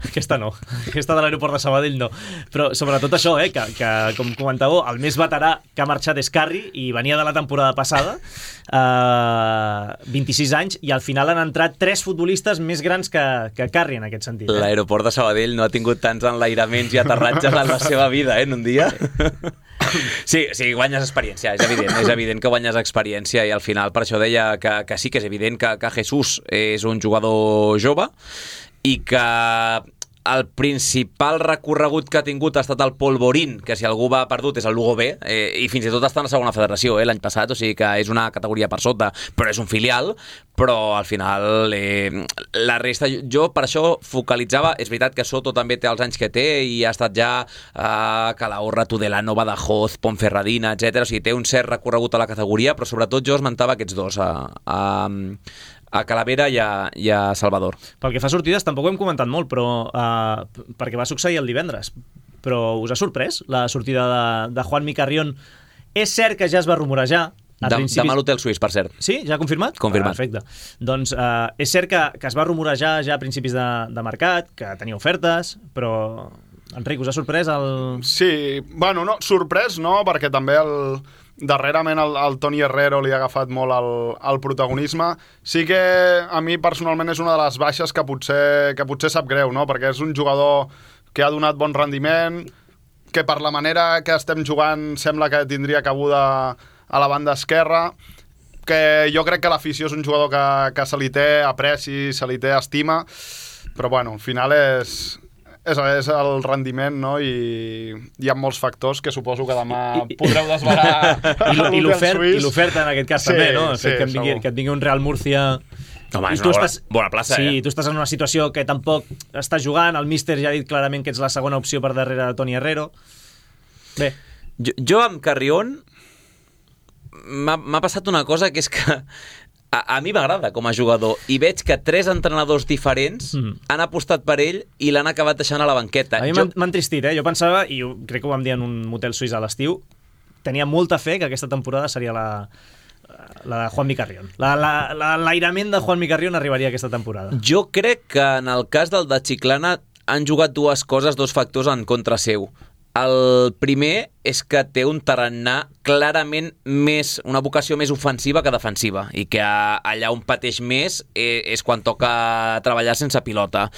Aquesta no, aquesta de l'aeroport de Sabadell no, però sobretot això, eh, que, que com comentàveu, el més veterà que ha marxat és Carri i venia de la temporada passada, eh, vint-i-sis anys, i al final han entrat tres futbolistes més grans que, que Carri en aquest sentit. Eh? L'aeroport de Sabadell no ha tingut tants enlairaments i aterratges en la seva vida, eh, en un dia. Sí, sí, guanyes experiència, és evident, és evident que guanyes experiència i al final per això deia que, que sí que és evident que, que Jesús és un jugador jove i que el principal recorregut que ha tingut ha estat el Polvorín, que si algú va perdut és el Lugo B, eh, i fins i tot està en la segona federació eh, l'any passat, o sigui que és una categoria per sota, però és un filial, però al final eh, la resta, jo per això focalitzava, és veritat que Soto també té els anys que té i ha estat ja a Calahorra, Tudelano, Badajoz, Ponferradina, etcètera. O sigui, té un cert recorregut a la categoria, però sobretot jo esmentava aquests dos, a, a, a Calavera i a, i a Salvador. Pel que fa a sortides, tampoc ho hem comentat molt, però uh, perquè va succeir el divendres. Però us ha sorprès la sortida de, de Juanmi Carrion? És cert que ja es va rumorejar. De, principis... Demà a l'hotel suís, per cert. Sí? Ja ha confirmat? Confirmat. Perfecte. Doncs uh, és cert que, que es va rumorejar ja a principis de, de mercat, que tenia ofertes, però... Enric, us ha sorprès el... Sí, bueno, no, sorprès no, perquè també el... darrerament el, el Toni Herrero li ha agafat molt el, el protagonisme. Sí que a mi personalment és una de les baixes que potser, que potser sap greu, no? Perquè és un jugador que ha donat bon rendiment, que per la manera que estem jugant sembla que tindria cabuda a la banda esquerra, que jo crec que l'afició és un jugador que, que se li té apreci, se li té estima, però bueno, al final és... És, és el rendiment, no? I hi ha molts factors que suposo que demà I, podreu desvelar. I l'oferta en aquest cas sí, també, no? Sí, que, et vingui, que et vingui un Real Murcia... Home, és una bona, estàs, bona plaça, sí, eh? tu estàs en una situació que tampoc estàs jugant, el míster ja ha dit clarament que ets la segona opció per darrere de Toni Herrero. Bé. Jo, jo amb Carrión m'ha passat una cosa que és que A, a mi m'agrada com a jugador i veig que tres entrenadors diferents mm. han apostat per ell i l'han acabat deixant a la banqueta. A mi jo... m'ha entristit, eh? Jo pensava, i ho, crec que ho vam dir en un motel suís a l'estiu, tenia molta fe que aquesta temporada seria la, la de Juanmi Carrión. L'airament la, la, de Juanmi Carrión arribaria aquesta temporada. Jo crec que en el cas del de Chiclana han jugat dues coses, dos factors en contra seu. El primer és que té un tarannà clarament més, una vocació més ofensiva que defensiva i que allà on pateix més és quan toca treballar sense pilota.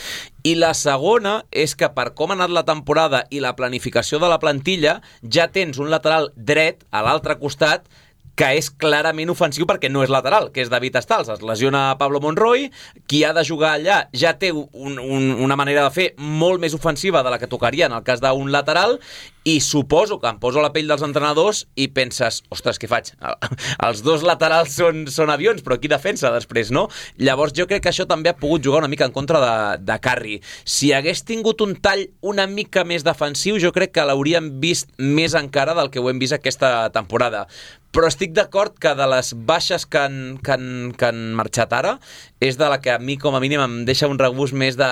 I la segona és que per com ha anat la temporada i la planificació de la plantilla ja tens un lateral dret a l'altre costat que és clarament ofensiu perquè no és lateral, que és David Stals. Es lesiona Pablo Monroy, qui ha de jugar allà ja té un, un, una manera de fer molt més ofensiva de la que tocaria en el cas d'un lateral, i suposo que em poso a la pell dels entrenadors i penses, ostres, què faig? Els dos laterals són, són avions, però qui defensa després, no? Llavors jo crec que això també ha pogut jugar una mica en contra de, de Carri. Si hagués tingut un tall una mica més defensiu, jo crec que l'hauríem vist més encara del que ho hem vist aquesta temporada. Però estic d'acord que de les baixes que han, que, han, que han marxat ara és de la que a mi com a mínim em deixa un regust més de...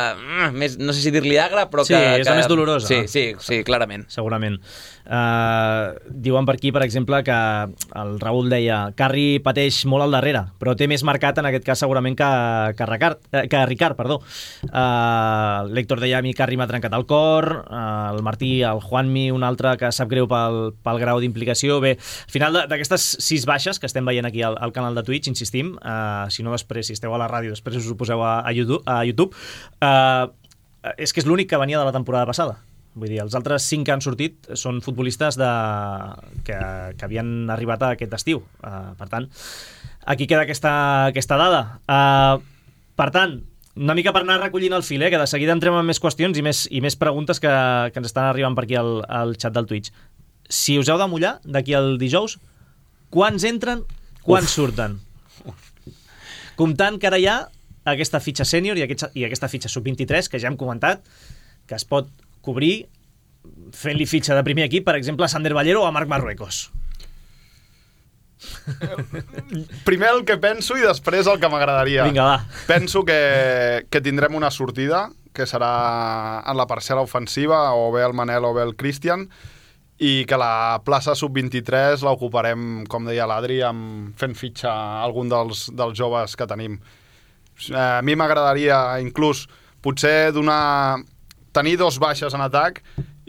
Més, no sé si dir-li agre, però sí, que... Sí, és que, la més dolorosa. Sí, sí, sí, clarament. Segurament. Uh, diuen per aquí, per exemple, que el Raül deia Carri pateix molt al darrere, però té més marcat en aquest cas segurament que, que, Ricard, que Ricard. Perdó. Uh, L'Héctor deia a mi Carri m'ha trencat el cor, uh, el Martí, el Juanmi, un altre que sap greu pel, pel grau d'implicació. Bé, al final d'aquestes sis baixes que estem veient aquí al, al canal de Twitch, insistim, uh, si no després, si esteu a la ràdio, després us ho poseu a, a YouTube, a YouTube uh, és que és l'únic que venia de la temporada passada. Vull dir, els altres cinc que han sortit són futbolistes de... que, que havien arribat a aquest estiu. Uh, per tant, aquí queda aquesta, aquesta dada. Uh, per tant, una mica per anar recollint el fil, eh, que de seguida entrem en més qüestions i més, i més preguntes que, que ens estan arribant per aquí al, al xat del Twitch. Si us heu de mullar d'aquí al dijous, quants entren, quants Uf. surten? Comptant que ara hi ha aquesta fitxa sènior i, aquest, i aquesta fitxa sub vint-i-tres, que ja hem comentat, que es pot cobrir fent-li fitxa de primer equip, per exemple, a Sander Ballero o a Marc Marruecos. Primer el que penso i després el que m'agradaria. Vinga, va. Penso que, que tindrem una sortida, que serà en la parcel·la ofensiva, o bé el Manel o bé el Cristian, i que la plaça sub vint-i-tres l'ocuparem, com deia l'Adri, amb fent fitxa a algun dels, dels joves que tenim. A mi m'agradaria inclús potser donar, tenir dos baixes en atac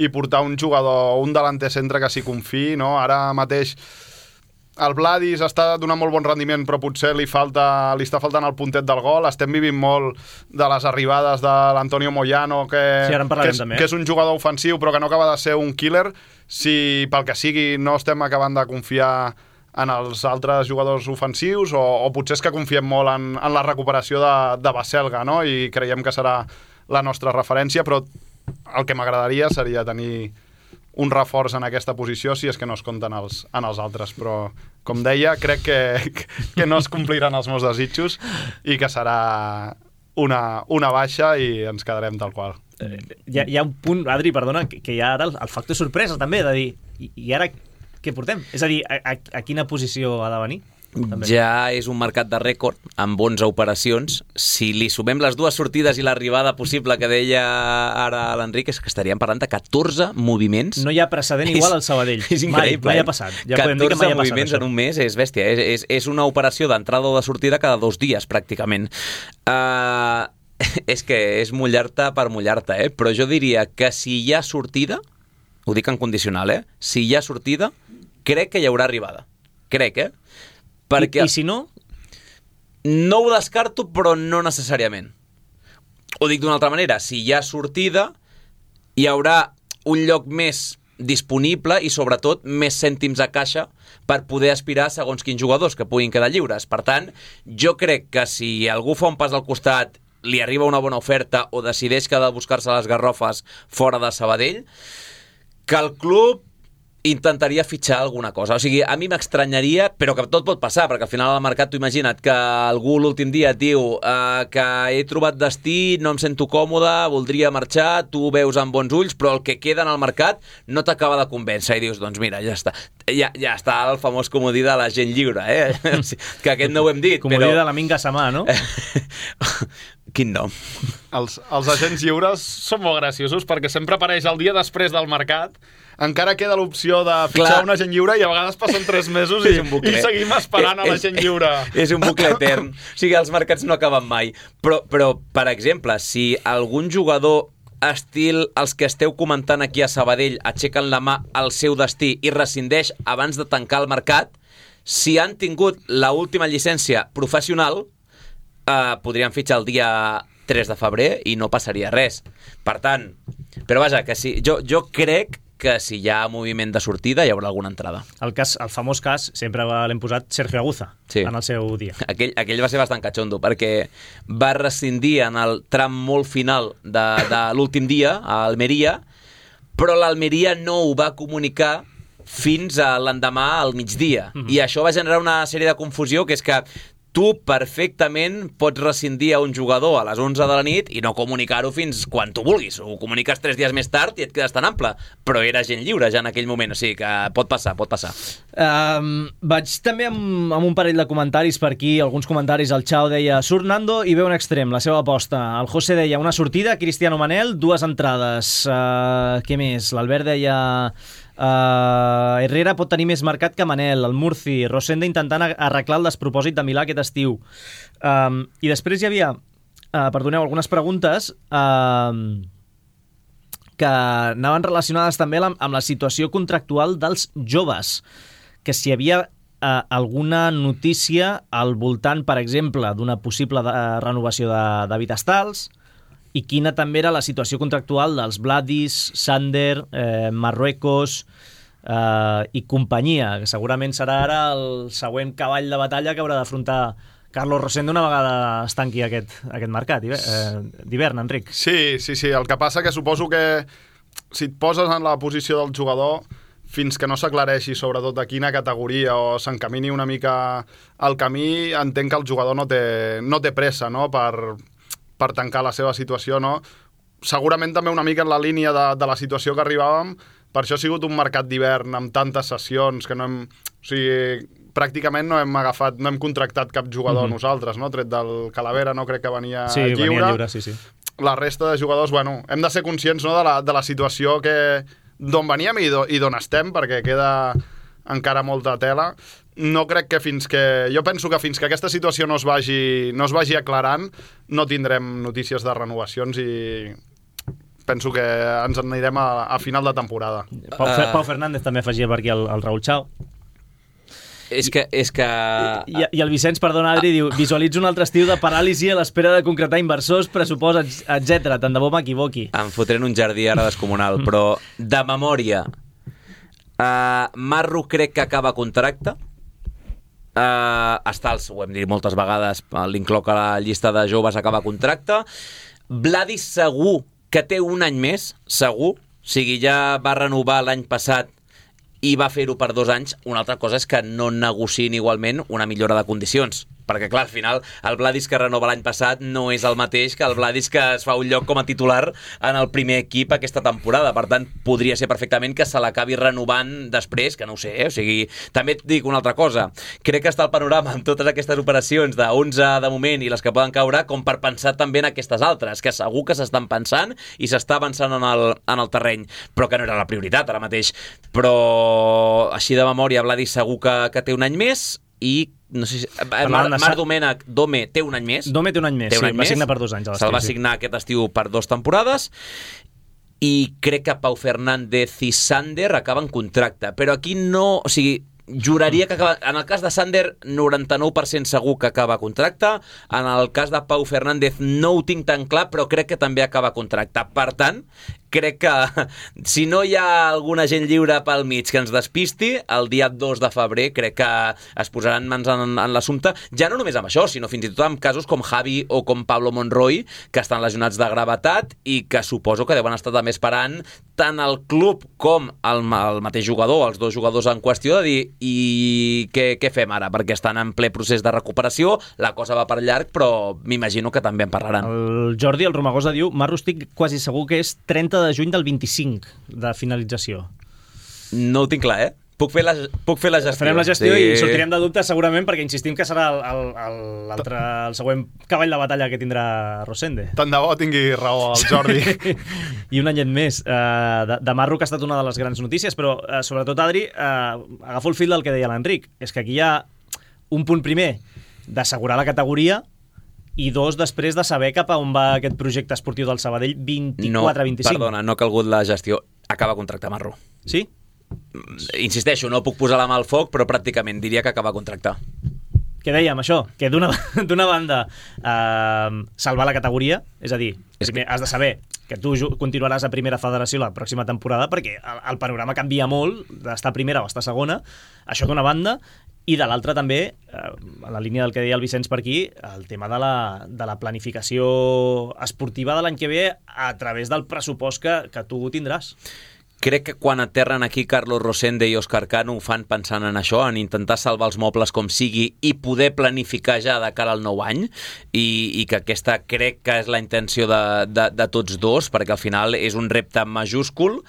i portar un jugador, un delanter centre que s'hi confiï, no? Ara mateix el Vladis està donant molt bon rendiment, però potser li falta, li està faltant el puntet del gol. Estem vivint molt de les arribades de l'Antonio Moyano, que, sí, que, és, també. que és un jugador ofensiu però que no acaba de ser un killer. Si pel que sigui no estem acabant de confiar en els altres jugadors ofensius, o, o potser és que confiem molt en, en la recuperació de, de Baselga, no? I creiem que serà la nostra referència, però el que m'agradaria seria tenir un reforç en aquesta posició, si és que no es compten els, en els altres, però com deia, crec que, que no es compliran els meus desitjos i que serà una, una baixa i ens quedarem tal qual. Eh, hi, ha, hi ha un punt, Adri, perdona, que, que hi ha ara el, el factor sorpresa també, de dir, i, i ara què portem? És a dir, a, a, a quina posició ha de venir? També. Ja és un mercat de rècord amb onze operacions. Si li sumem les dues sortides i l'arribada possible que deia ara l'Enric, és que estaríem parlant de catorze moviments. No hi ha precedent igual al Sabadell. És increïble. Mai, mai ha passat. Ja podem dir que mai ha passat moviments això. En un mes és bèstia. És, és, és una operació d'entrada o de sortida cada dos dies, pràcticament. Uh, és que és mullar-te per mullar-te, eh? Però jo diria que si hi ha sortida, ho dic en condicional, eh? Si hi ha sortida, crec que hi haurà arribada. Crec, eh? Perquè I, I si no? No ho descarto, però no necessàriament. Ho dic d'una altra manera. Si hi ha sortida, hi haurà un lloc més disponible i, sobretot, més cèntims a caixa per poder aspirar segons quins jugadors que puguin quedar lliures. Per tant, jo crec que si algú fa un pas al costat li arriba una bona oferta o decideix que ha de buscar-se les garrofes fora de Sabadell, que el club intentaria fitxar alguna cosa. O sigui, a mi m'estranyaria, però que tot pot passar, perquè al final al mercat, tu imagina't que algú l'últim dia et diu uh, que he trobat destí, no em sento còmode, voldria marxar, tu ho veus amb bons ulls, però el que queda en el mercat no t'acaba de convèncer i dius, doncs mira, ja està. Ja, ja està el famós comodí de la gent lliure, eh? Que aquest no ho hem dit, comodí però... de la Minga Samà, no? Quin nom? Els, els agents lliures són molt graciosos perquè sempre apareix el dia després del mercat. Encara queda l'opció de fitxar un agent lliure i a vegades passen tres mesos i, i seguim esperant a l'agent lliure. És un bucle etern. O sigui, els mercats no acaben mai. Però, però per exemple, si algun jugador estil els que esteu comentant aquí a Sabadell aixequen la mà al seu destí i rescindeix abans de tancar el mercat, si han tingut l'última llicència professional, eh, podrien fitxar el dia tres de febrer i no passaria res. Per tant, però vaja, que si, jo, jo crec que si hi ha moviment de sortida hi haurà alguna entrada. El cas, el famós cas, sempre l'hem posat Sergio Aguza, sí, en el seu dia. Aquell, aquell va ser bastant catxondo, perquè va rescindir en el tram molt final de, de l'últim dia, a Almeria, però l'Almeria no ho va comunicar fins a l'endemà al migdia. Mm-hmm. I això va generar una sèrie de confusió, que és que tu perfectament pots rescindir a un jugador a les onze de la nit i no comunicar-ho fins quan tu vulguis. Ho comuniques tres dies més tard i et quedes tan ample. Però era gent lliure ja en aquell moment, o sigui que pot passar, pot passar. Um, vaig també amb, amb un parell de comentaris per aquí, alguns comentaris. El Chao deia, surt Nando i ve un extrem, la seva aposta. El José deia, una sortida, Cristiano Manel, dues entrades. Uh, què més? L'Albert deia... Uh, Herrera pot tenir més mercat que Manel. El Murci, Rosenda intentant arreglar el despropòsit de Milà aquest estiu. Um, I després hi havia, uh, perdoneu, algunes preguntes uh, que anaven relacionades també amb, amb la situació contractual dels joves, que si hi havia uh, alguna notícia al voltant, per exemple, d'una possible de, uh, renovació de David Astals, i quina també era la situació contractual dels Vladis, Sander, eh, Marruecos eh, i companyia, que segurament serà ara el següent cavall de batalla que haurà d'afrontar Carlos Rosendo una vegada es tanqui aquest, aquest mercat d'hivern, eh, Enric. Sí, sí, sí. El que passa que suposo que si et poses en la posició del jugador, fins que no s'aclareixi sobretot de quina categoria o s'encamini una mica al camí, entenc que el jugador no té, no té pressa, no?, per... per tancar la seva situació, no? Segurament també una mica en la línia de, de la situació que arribàvem, per això ha sigut un mercat d'hivern amb tantes sessions que no hem... O sigui, pràcticament no hem agafat, no hem contractat cap jugador mm-hmm. nosaltres, no? Tret del Calavera, no crec que venia sí, lliure. Venia lliure, sí, sí. La resta de jugadors, bueno, hem de ser conscients, no?, de la, de la situació que d'on veníem i d'on estem, perquè queda encara molta tela. No crec que fins que... Jo penso que fins que aquesta situació no es vagi, no es vagi aclarant, no tindrem notícies de renovacions i penso que ens en anirem a, a final de temporada. Pau, uh... Pau Fernández també afegia per aquí el, el Raúl Chao. És que... És que... I, I el Vicenç, perdona, Adri, diu, visualitza un altre estiu de paràlisi a l'espera de concretar inversors, pressupost, etcètera. Tant de bo m'equivoqui. Em fotré en un jardí ara descomunal, però de memòria, uh, Marro crec que acaba contracte. Uh, Astals, ho hem dit moltes vegades, l'incloc a la llista de joves, acaba contracte. Vladis segur que té un any més, segur. O sigui, ja va renovar l'any passat i va fer-ho per dos anys. Una altra cosa és que no negociïn igualment una millora de condicions, perquè clar, al final el Vladis que renova l'any passat no és el mateix que el Vladis que es fa un lloc com a titular en el primer equip aquesta temporada. Per tant, podria ser perfectament que se l'acabi renovant després, que no ho sé, eh? O sigui, també et dic una altra cosa, crec que està el panorama amb totes aquestes operacions de onze de moment i les que poden caure com per pensar també en aquestes altres, que segur que s'estan pensant i s'està avançant en el, en el terreny, però que no era la prioritat ara mateix. Però així de memòria, Vladis segur que, que té un any més i no sé si... Mar, Mar Domènech, Dome, té un any més. Dome té un any més, un sí, any va més. signar per dos anys. Se'l va signar aquest estiu per dues temporades i crec que Pau Fernández i Sander acaben contracte. Però aquí no... O sigui, juraria que acaba... En el cas de Sander, noranta-nou per cent segur que acaba contracte. En el cas de Pau Fernández no ho tinc tan clar, però crec que també acaba contracte. Per tant, crec que si no hi ha alguna gent lliure pel mig que ens despisti, el dia dos de febrer crec que es posaran mans en, en l'assumpte, ja no només amb això, sinó fins i tot amb casos com Javi o com Pablo Monroy, que estan lesionats de gravetat i que suposo que deuen estar també esperant tant el club com el, el mateix jugador, els dos jugadors en qüestió, de dir i què, què fem ara? Perquè estan en ple procés de recuperació, la cosa va per llarg, però m'imagino que també en parlaran. El Jordi, el Romagosa, diu, Marro, estic quasi segur que és trenta de juny del vint-i-cinc de finalització. No ho tinc clar, eh? Puc fer la, puc fer la gestió. Farem la gestió sí. I sortirem de dubtes segurament perquè insistim que serà el, el, el, l'altre, el següent cavall de batalla que tindrà Rosende. Tant de bo tingui raó el Jordi. I un anyet més. Uh, de, de Marro, que ha estat una de les grans notícies, però uh, sobretot, Adri, uh, agafo el fil del que deia l'Enric. És que aquí hi ha un punt primer d'assegurar la categoria i dos, després de saber cap a on va aquest projecte esportiu del Sabadell vint-i-quatre vint-i-cinc. No, perdona, no ha calgut la gestió. Acaba contracte Marro. Sí? Insisteixo, no puc posar la mà al foc, però pràcticament diria que acaba contracte. Què dèiem, això? Que d'una, d'una banda eh, salvar la categoria, és a dir, primer has de saber que tu continuaràs a primera federació la pròxima temporada perquè el, el panorama canvia molt d'estar a primera o estar a segona, això d'una banda, i de l'altra també, eh, a la línia del que deia el Vicenç per aquí, el tema de la, de la planificació esportiva de l'any que ve a través del pressupost que, que tu tindràs. Crec que quan aterren aquí Carlos Rosende i Òscar Cano ho fan pensant en això, en intentar salvar els mobles com sigui i poder planificar ja de cara al nou any, i, i que aquesta crec que és la intenció de, de, de tots dos, perquè al final és un repte majúscul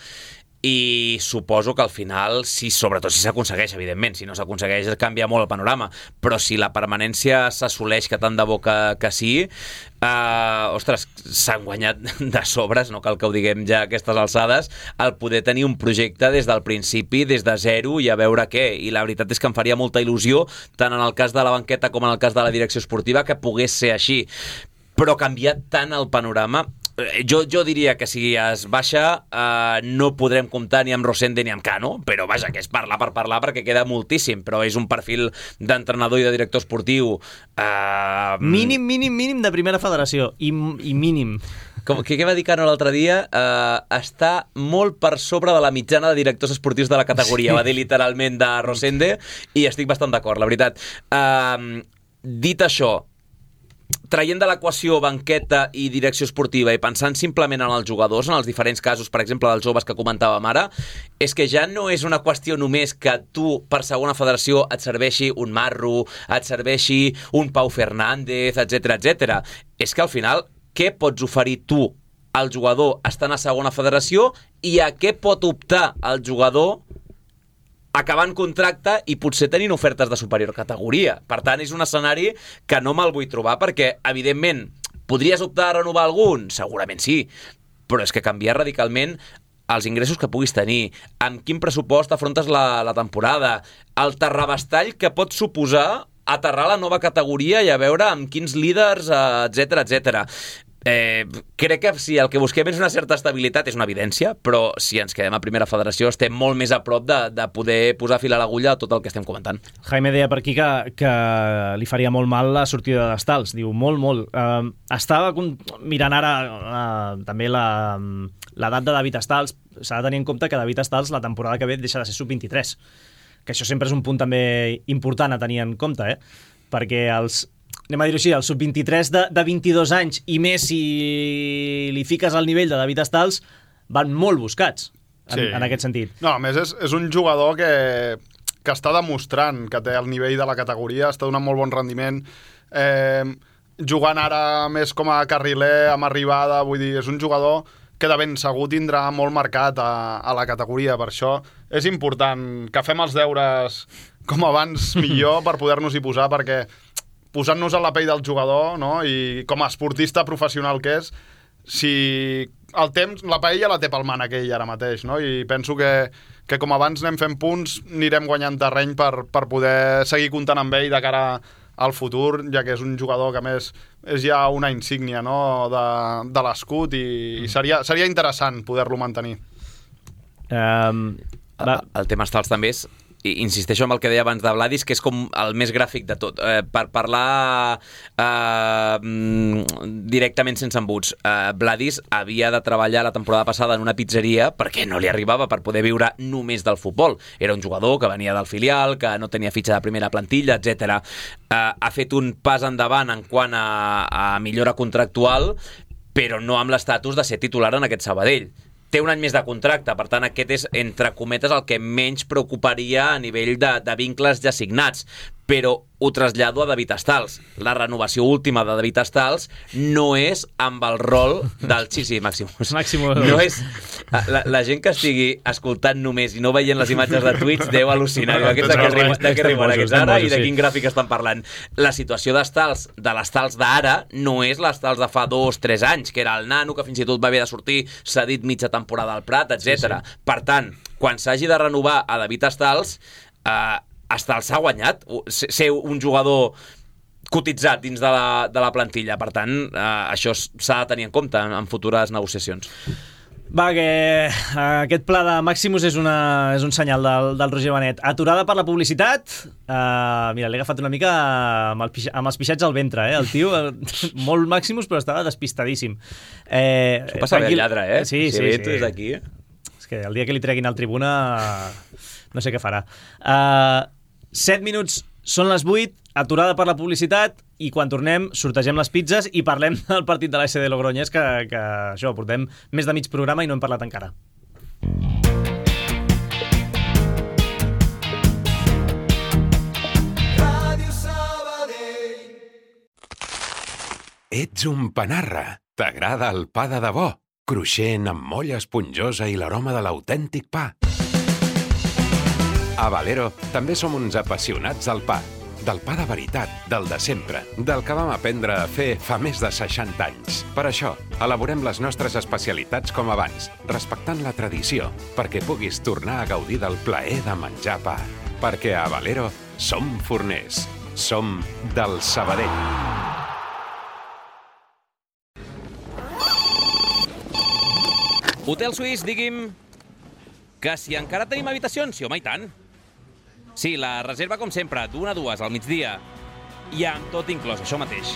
i suposo que al final, si, sobretot si s'aconsegueix, evidentment, si no s'aconsegueix canvia molt el panorama, però si la permanència s'assoleix, que tant de bo que, que sí, eh, ostres, s'han guanyat de sobres, no cal que ho diguem ja a aquestes alçades, el poder tenir un projecte des del principi, des de zero i a veure què, i la veritat és que em faria molta il·lusió, tant en el cas de la banqueta com en el cas de la direcció esportiva, que pogués ser així, però ha canviat tant el panorama. Jo, jo diria que si es baixa eh, no podrem comptar ni amb Rosende ni amb Cano, però vaja, que és parlar per parlar perquè queda moltíssim, però és un perfil d'entrenador i de director esportiu eh... mínim, mínim, mínim de primera federació i, i mínim com, que, què va dir Cano l'altre dia? Eh, està molt per sobre de la mitjana de directors esportius de la categoria, sí. Va dir literalment de Rosende, i estic bastant d'acord, la veritat. Eh, dit això, traient de l'equació banqueta i direcció esportiva i pensant simplement en els jugadors, en els diferents casos, per exemple, dels joves que comentàvem ara, és que ja no és una qüestió només que tu, per segona federació, et serveixi un Marro, et serveixi un Pau Fernández, etcètera, etcètera. És que al final, què pots oferir tu al jugador estant a segona federació i a què pot optar el jugador acabant contracte i potser tenint ofertes de superior categoria. Per tant, és un escenari que no me'l vull trobar perquè, evidentment, podries optar a renovar algun? Segurament sí, però és que canviar radicalment els ingressos que puguis tenir, amb quin pressupost afrontes la, la temporada, el terrabastall que pot suposar aterrar la nova categoria i a veure amb quins líders, etcètera, etcètera. Eh, crec que si el que busquem és una certa estabilitat és una evidència, però si ens quedem a primera federació estem molt més a prop de, de poder posar fil a l'agulla a tot el que estem comentant. Jaime deia per aquí que, que li faria molt mal la sortida d'Estals, diu molt, molt. Uh, estava mirant ara uh, també la, l'edat de David Estals, s'ha de tenir en compte que David Estals la temporada que ve deixa de ser sub vint-i-tres, que això sempre és un punt també important a tenir en compte, eh? Perquè els anem a dir-ho així, el sub vint-i-tres de, de vint-i-dos anys i més si li fiques al nivell de David Estals van molt buscats en, sí. en aquest sentit. No, a més és, és un jugador que, que està demostrant que té el nivell de la categoria, està donant molt bon rendiment, eh, jugant ara més com a carriler amb arribada, vull dir, és un jugador que de ben segur tindrà molt marcat a, a la categoria, per això és important que fem els deures com abans millor per poder-nos-hi posar, perquè posant-nos a la pell del jugador, no? I com a esportista professional que és, si el temps, la paella la té pel man aquell ara mateix, no? I penso que, que com abans anem fent punts, anirem guanyant terreny per, per poder seguir comptant amb ell de cara al futur, ja que és un jugador que a més és ja una insígnia, no? de, de l'escut i, i seria, seria interessant poder-lo mantenir. Um, el, el tema Estals també és insisteixo amb el que deia abans de Vladis, que és com el més gràfic de tot. Eh, per parlar eh, directament sense embuts, eh, Vladis havia de treballar la temporada passada en una pizzeria perquè no li arribava per poder viure només del futbol. Era un jugador que venia del filial, que no tenia fitxa de primera plantilla, etcètera. Eh, ha fet un pas endavant en quant a, a millora contractual, però no amb l'estatus de ser titular en aquest Sabadell. Té un any més de contracte, per tant aquest és, entre cometes, el que menys preocuparia a nivell de, de vincles ja signats, però ho trasllado a David Estals. La renovació última de David Estals no és amb el rol del... Sí, sí, Màximus. Màximus. No és... La, la gent que estigui escoltant només i no veient les imatges de tuits deu al·lucinar. Aquests de què riuen, de què riuen aquests ara i de quin gràfic estan parlant. La situació d'Estals, de l'Estals d'ara, no és l'Estals de fa dos, tres anys, que era el nano, que fins i tot va haver de sortir cedit mitja temporada al Prat, etcètera. Sí, sí. Per tant, quan s'hagi de renovar a David Estals, eh, Estals s'ha guanyat ser un jugador cotitzat dins de la, de la plantilla. Per tant, eh, això s'ha de tenir en compte en, en futures negociacions. Va, que aquest pla de Màximus és, una, és un senyal del, del Roger Benet. Aturada per la publicitat. Uh, mira, l'he agafat una mica amb, el, amb els pixats al ventre, eh? El tio, el, molt Màximus, però estava despistadíssim. Eh, Això passa bé el lladre, eh? Sí, sí, sí. sí. Aquí. És que el dia que li treguin al tribuna no sé què farà. Uh, set minuts, són les vuit, aturada per la publicitat, i quan tornem sortegem les pizzas i parlem del partit de l'A S D Logroñés, que, que això, portem més de mig programa i no hem parlat encara. Ets un panarra. T'agrada el pa de debò, cruixent amb molla esponjosa i l'aroma de l'autèntic pa. A Valero també som uns apassionats del pa. Del pa de veritat, del de sempre, del que vam aprendre a fer fa més de seixanta anys. Per això, elaborem les nostres especialitats com abans, respectant la tradició, perquè puguis tornar a gaudir del plaer de menjar pa. Perquè a Valero som forners. Som del Sabadell. Hotel Suís, digui'm que si encara tenim habitacions, sí, home, i tant. Sí, la reserva com sempre, d'una a dues al migdia. I amb tot inclòs, això mateix.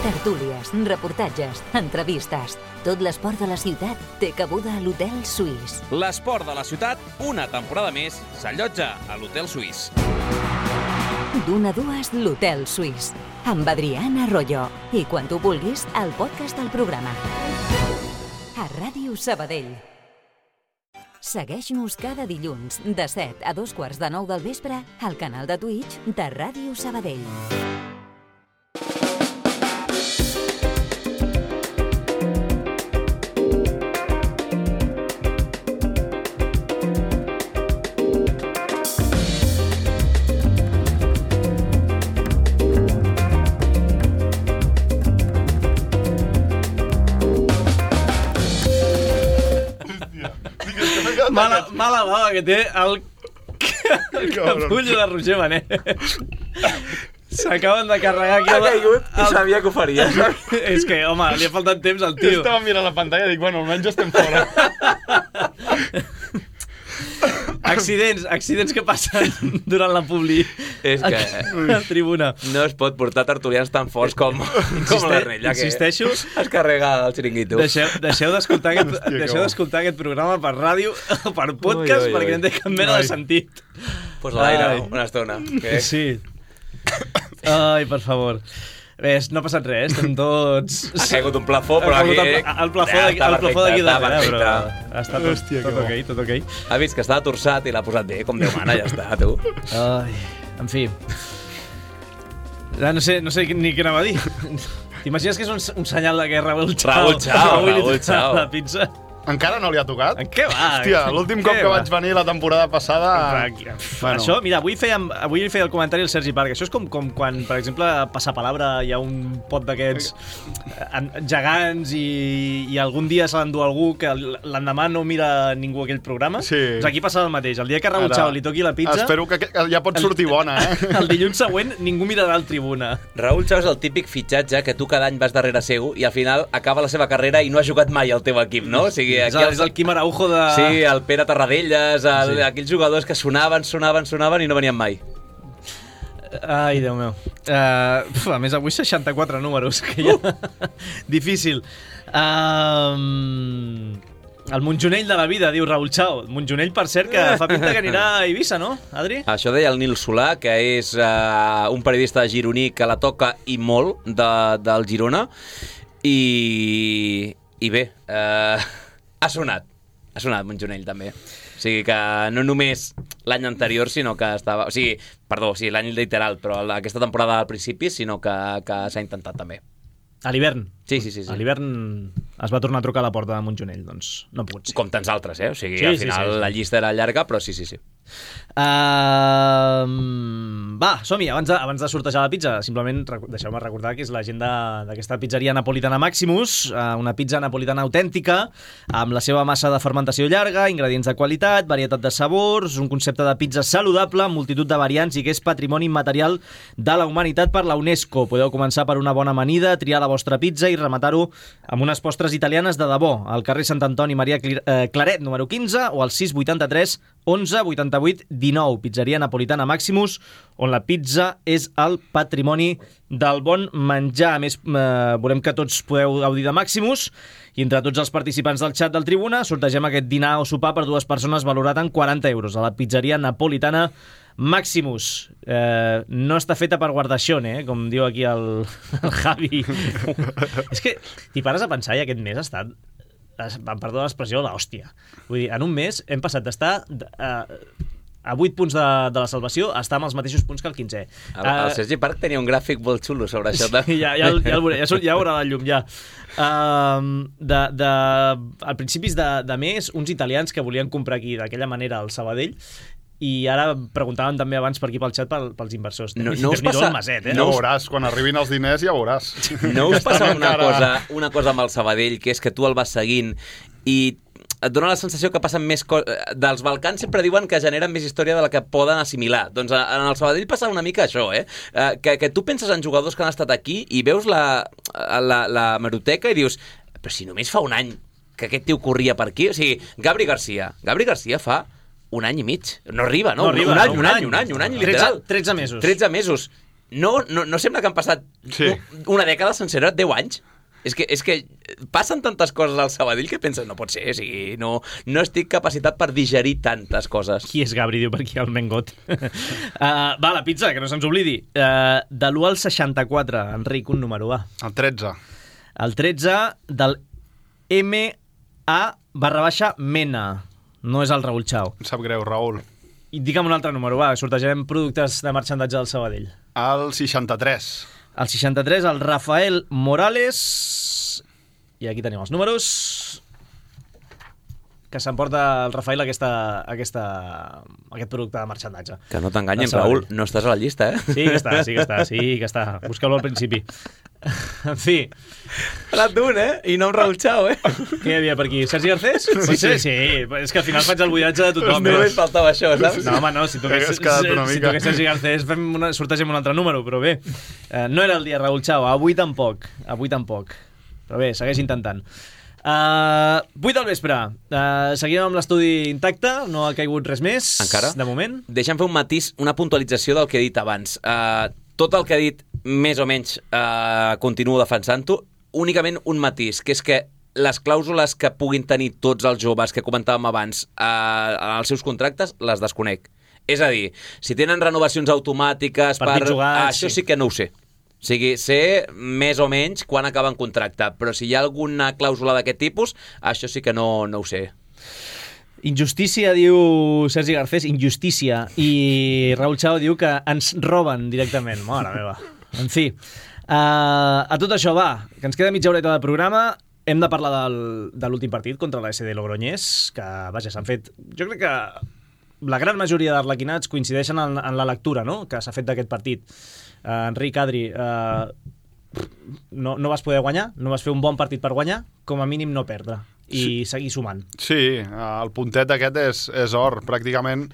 Tertúlies, reportatges, entrevistes. Tot l'esport de la ciutat té cabuda a l'Hotel Suís. L'esport de la ciutat, una temporada més, s'allotja a l'Hotel Suís. D'una a dues, l'Hotel Suís. Amb Adrián Arroyo. I quan tu vulguis, el podcast del programa. A Ràdio Sabadell. Segueix-nos cada dilluns de set a dos quarts de nou del vespre al canal de Twitch de Ràdio Sabadell. Mala, mala bava que té el, el capullo de Roger Benet. S'acaben de carregar aquí... Ha caigut i sabia que ho faria. És que, home, li ha faltat temps al tio. Estava mirant la pantalla i dic, bueno, almenys estem fora. Accidents, accidents que passen durant la publi. És que... A la tribuna. No es pot portar tertulians tan forts com, com l'Ernella, que insisteixo, es carrega el xiringuito. Deixeu, deixeu d'escoltar aquest, Hòstia, deixeu d'escoltar aquest programa per ràdio o per podcast, ui, ui, ui. perquè no té cap mena de sentit. Pues l'aire, una estona. Que... Sí. Ai, per favor. Res, no ha passat res, estem tots... Ha caigut un plafó, però aquí... El, el plafó d'aquí ja, darrere, però ha estat tot, Hòstia, tot ok, tot ok. Ha vist que estava torçat i l'ha posat bé, com Déu mana, ja està, tu. Ai, en fi. Ja no sé, no sé ni què anava a dir. T'imagines que és un, un senyal de guerra, Raúl Chao? Raúl Chao, Raúl Chao. La pizza. Encara no li ha tocat? En què va? Hòstia, l'últim cop que vaig venir la temporada passada... Bueno. Això, mira, avui fèiem, avui feia el comentari el Sergi Parc. Això és com, com quan, per exemple, a Passapalabra hi ha un pot d'aquests gegants i, i algun dia se l'endú algú que l'endemà no mira ningú aquell programa. Sí. Doncs aquí passa el mateix. El dia que Raúl Chao li toqui la pizza... Espero que ja pot sortir bona, eh? El dilluns següent ningú mirarà el tribuna. Raúl Chao és el típic fitxatge que tu cada any vas darrere seu i al final acaba la seva carrera i no ha jugat mai al teu equip, no? O sigui, sigui, és, el, és el Quim Araujo de... Sí, el Pere Tarradellas, el, Sí. aquells jugadors que sonaven, sonaven, sonaven i no venien mai. Ai, Déu meu. Uh, uf, a més, avui seixanta-quatre números, que ja... Difícil. Um, el Montjonell de la vida, diu Raúl Chao. Montjonell, per cert, que fa pinta que anirà a Eivissa, no, Adri? Això deia el Nil Solà, que és uh, un periodista gironí que la toca i molt de, del Girona. I, i bé, uh, ha sonat. Ha sonat Montjonell, també. O sigui que no només l'any anterior, sinó que estava... O sigui, perdó, o sigui, l'any literal, però aquesta temporada al principi, sinó que, que s'ha intentat també. A l'hivern. Sí, sí, sí, sí. A l'hivern es va tornar a trucar a la porta de Montjonell, doncs no ha pogut ser. Com tants altres, eh? O sigui, Sí, al sí, final sí, sí. la llista era llarga, però sí, sí, sí. Uh, va, som-hi, abans de, abans de sortejar la pizza, simplement recu- deixeu-me recordar que és l'agenda d'aquesta pizzeria napolitana Maximus, uh, una pizza napolitana autèntica, amb la seva massa de fermentació llarga, ingredients de qualitat, varietat de sabors, un concepte de pizza saludable, multitud de variants i que és patrimoni immaterial de la humanitat per la UNESCO. Podeu començar per una bona amanida, triar la vostra pizza i rematar-ho amb unes postres italianes de debò, al carrer Sant Antoni Maria Cli- eh, Claret, número quinze, o al sis vuitanta-tres onze vuitanta-vuit dinou. Pizzeria napolitana Maximus, on la pizza és el patrimoni del bon menjar. A més, eh, volem que tots podeu gaudir de Maximus i entre tots els participants del xat del Tribuna sortegem aquest dinar o sopar per dues persones valorat en quaranta euros a la pizzeria napolitana Maximus. Eh, no està feta per guardaixón, eh? Com diu aquí el, el Javi. És que t'hi pares a pensar i aquest mes ha estat, em perdó l'expressió, l'hòstia. Vull dir, en un mes hem passat d'estar eh, a vuit punts de, de la salvació a estar amb els mateixos punts que el quinzè. El, el Sergi Parc tenia un gràfic molt xulo sobre això. De... Sí, ja, ja, el- ja, el veuré, ja, surt- ja veurà la llum, ja. Um, de, de, al principis de, de mes, uns italians que volien comprar aquí d'aquella manera al Sabadell, i ara preguntaven també abans per aquí pel xat pel, pels inversors. No- no us Déu-n'hi-do passa- el maset, eh? Ja veuràs, quan arribin els diners ja veuràs. No us passa una Encara- cosa, una cosa amb el Sabadell, que és que tu el vas seguint i et dona la sensació que passen més coses... Dels Balcans sempre diuen que generen més història de la que poden assimilar. Doncs en el Sabadell passa una mica això, eh? Eh, Que, que tu penses en jugadors que han estat aquí i veus la, la, la hemeroteca i dius, però si només fa un any que aquest tio corria per aquí... O sigui, Gabri Garcia. Gabri Garcia fa un any i mig. No arriba, no? No arriba, un, any, no, un, any, un any, un any, literal. tretze, tretze mesos. tretze mesos. No, no, no sembla que han passat Sí. una dècada sencera, deu anys. És que, és que passen tantes coses al Sabadell que penses, no pot ser, o sigui, no, no estic capacitat per digerir tantes coses. Qui és Gabri, diu per aquí el Mengot. uh, va, la pizza, que no se'ns oblidi. Uh, de l'u al seixanta-quatre, Enric, un número, va. El tretze. El tretze del M A barra baixa Mena. No és el Raúl Chao. Em sap greu, Raül. I digue'm un altre número, va, sortejarem productes de marxandatge del Sabadell. El seixanta-tres. El seixanta-tres, el Rafael Morales. I aquí tenim els números. Que s'emporta el Rafael aquesta, aquesta, aquest producte de marxandatge. Que no t'enganyen, El Sabadell. Raül, no estàs a la llista, eh? Sí que està, sí que està, sí que està. Busqueu-lo al principi. En fi, L'ha d'un, eh? I no amb Raúl Chao, eh? què hi havia per aquí? Sergi Garcés? Sí, sí, sí. És que al final faig el buidatge de tothom. Només eh? faltava això, saps? No, home, no, si toqués, Hagués quedat una si mica. toqués Sergi Garcés fem una, sortegem un altre número, però bé. Eh, no era el dia Raúl Chao, avui tampoc. Avui tampoc. Però bé, segueix intentant. Uh, vuit del vespre. Uh, seguim amb l'estudi intacte, no ha caigut res més. Encara? De moment. Deixa'm fer un matís, una puntualització del que he dit abans. Uh, tot el que he dit, més o menys, uh, continuo defensant-ho. Únicament un matís, que és que les clàusules que puguin tenir tots els joves que comentàvem abans uh, en els seus contractes, les desconec. És a dir, si tenen renovacions automàtiques Partits per... jugats, això sí. sí que no ho sé. O sigui, sé més o menys quan acaba en contracte, però si hi ha alguna clàusula d'aquest tipus, això sí que no, no ho sé. Injustícia, diu Sergi Garcés, injustícia. I Raúl Chao diu que ens roben directament. Mare meva. En fi. Uh, a tot això, va, que ens queda mitja horeta de programa. Hem de parlar del, de l'últim partit contra la S D Logroñés, que, vaja, s'han fet... Jo crec que la gran majoria d'arlequinats coincideixen en, en la lectura, no?, que s'ha fet d'aquest partit. Uh, Enric, Adri, uh, no, no vas poder guanyar, no vas fer un bon partit per guanyar, com a mínim no perdre i sí. seguir sumant. Sí, el puntet aquest és, és or. Pràcticament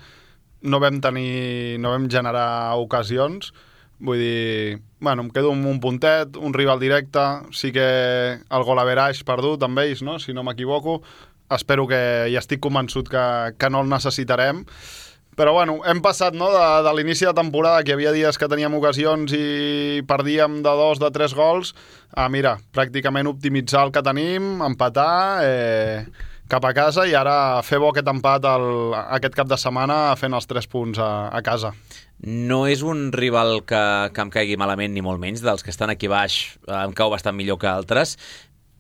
no vam tenir, no vam generar ocasions. Vull dir, bueno, em quedo amb un puntet, un rival directe, sí que el gol average perdut amb ells, no?, si no m'equivoco. espero que, i estic convençut que, que no el necessitarem. Però bueno, hem passat, no, de, de l'inici de temporada, que hi havia dies que teníem ocasions i perdíem de dos, de tres gols, a, mira, pràcticament optimitzar el que tenim, empatar, eh, cap a casa, i ara fer bo aquest empat el, aquest cap de setmana fent els tres punts a, a casa. No és un rival que, que em caigui malament, ni molt menys, dels que estan aquí baix em cau bastant millor que altres,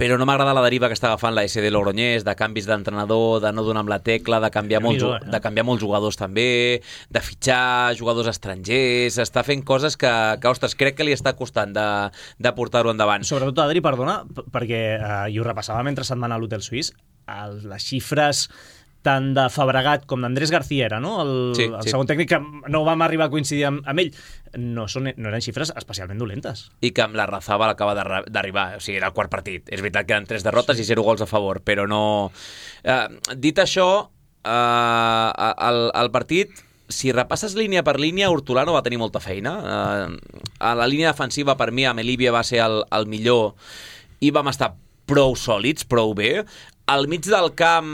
però no m'agrada la deriva que està agafant la S D Logroñés, de canvis d'entrenador, de no donar amb la tecla, de canviar, molts, eh? de canviar molts jugadors també, de fitxar jugadors estrangers, està fent coses que, que ostres, crec que li està costant de, de portar-ho endavant. Sobretot, Adri, perdona, perquè eh, i ho repassava mentre setmana a l'Hotel Suís, el, les xifres tant de Fabregat com d'Andrés García era, no? El, sí, el sí. segon tècnic, que no vam arribar a coincidir amb, amb ell. No, són, no eren xifres especialment dolentes. I que amb la Razaba l'acaba d'arribar, o sigui, era el quart partit. És veritat que eren tres derrotes sí. i zero gols a favor, però no... Eh, dit això, eh, el, el partit, si repasses línia per línia, Hortolà no va tenir molta feina. Eh, a la línia defensiva, per mi, Amelívia va ser el, el millor i vam estar prou sòlids, prou bé. Al mig del camp,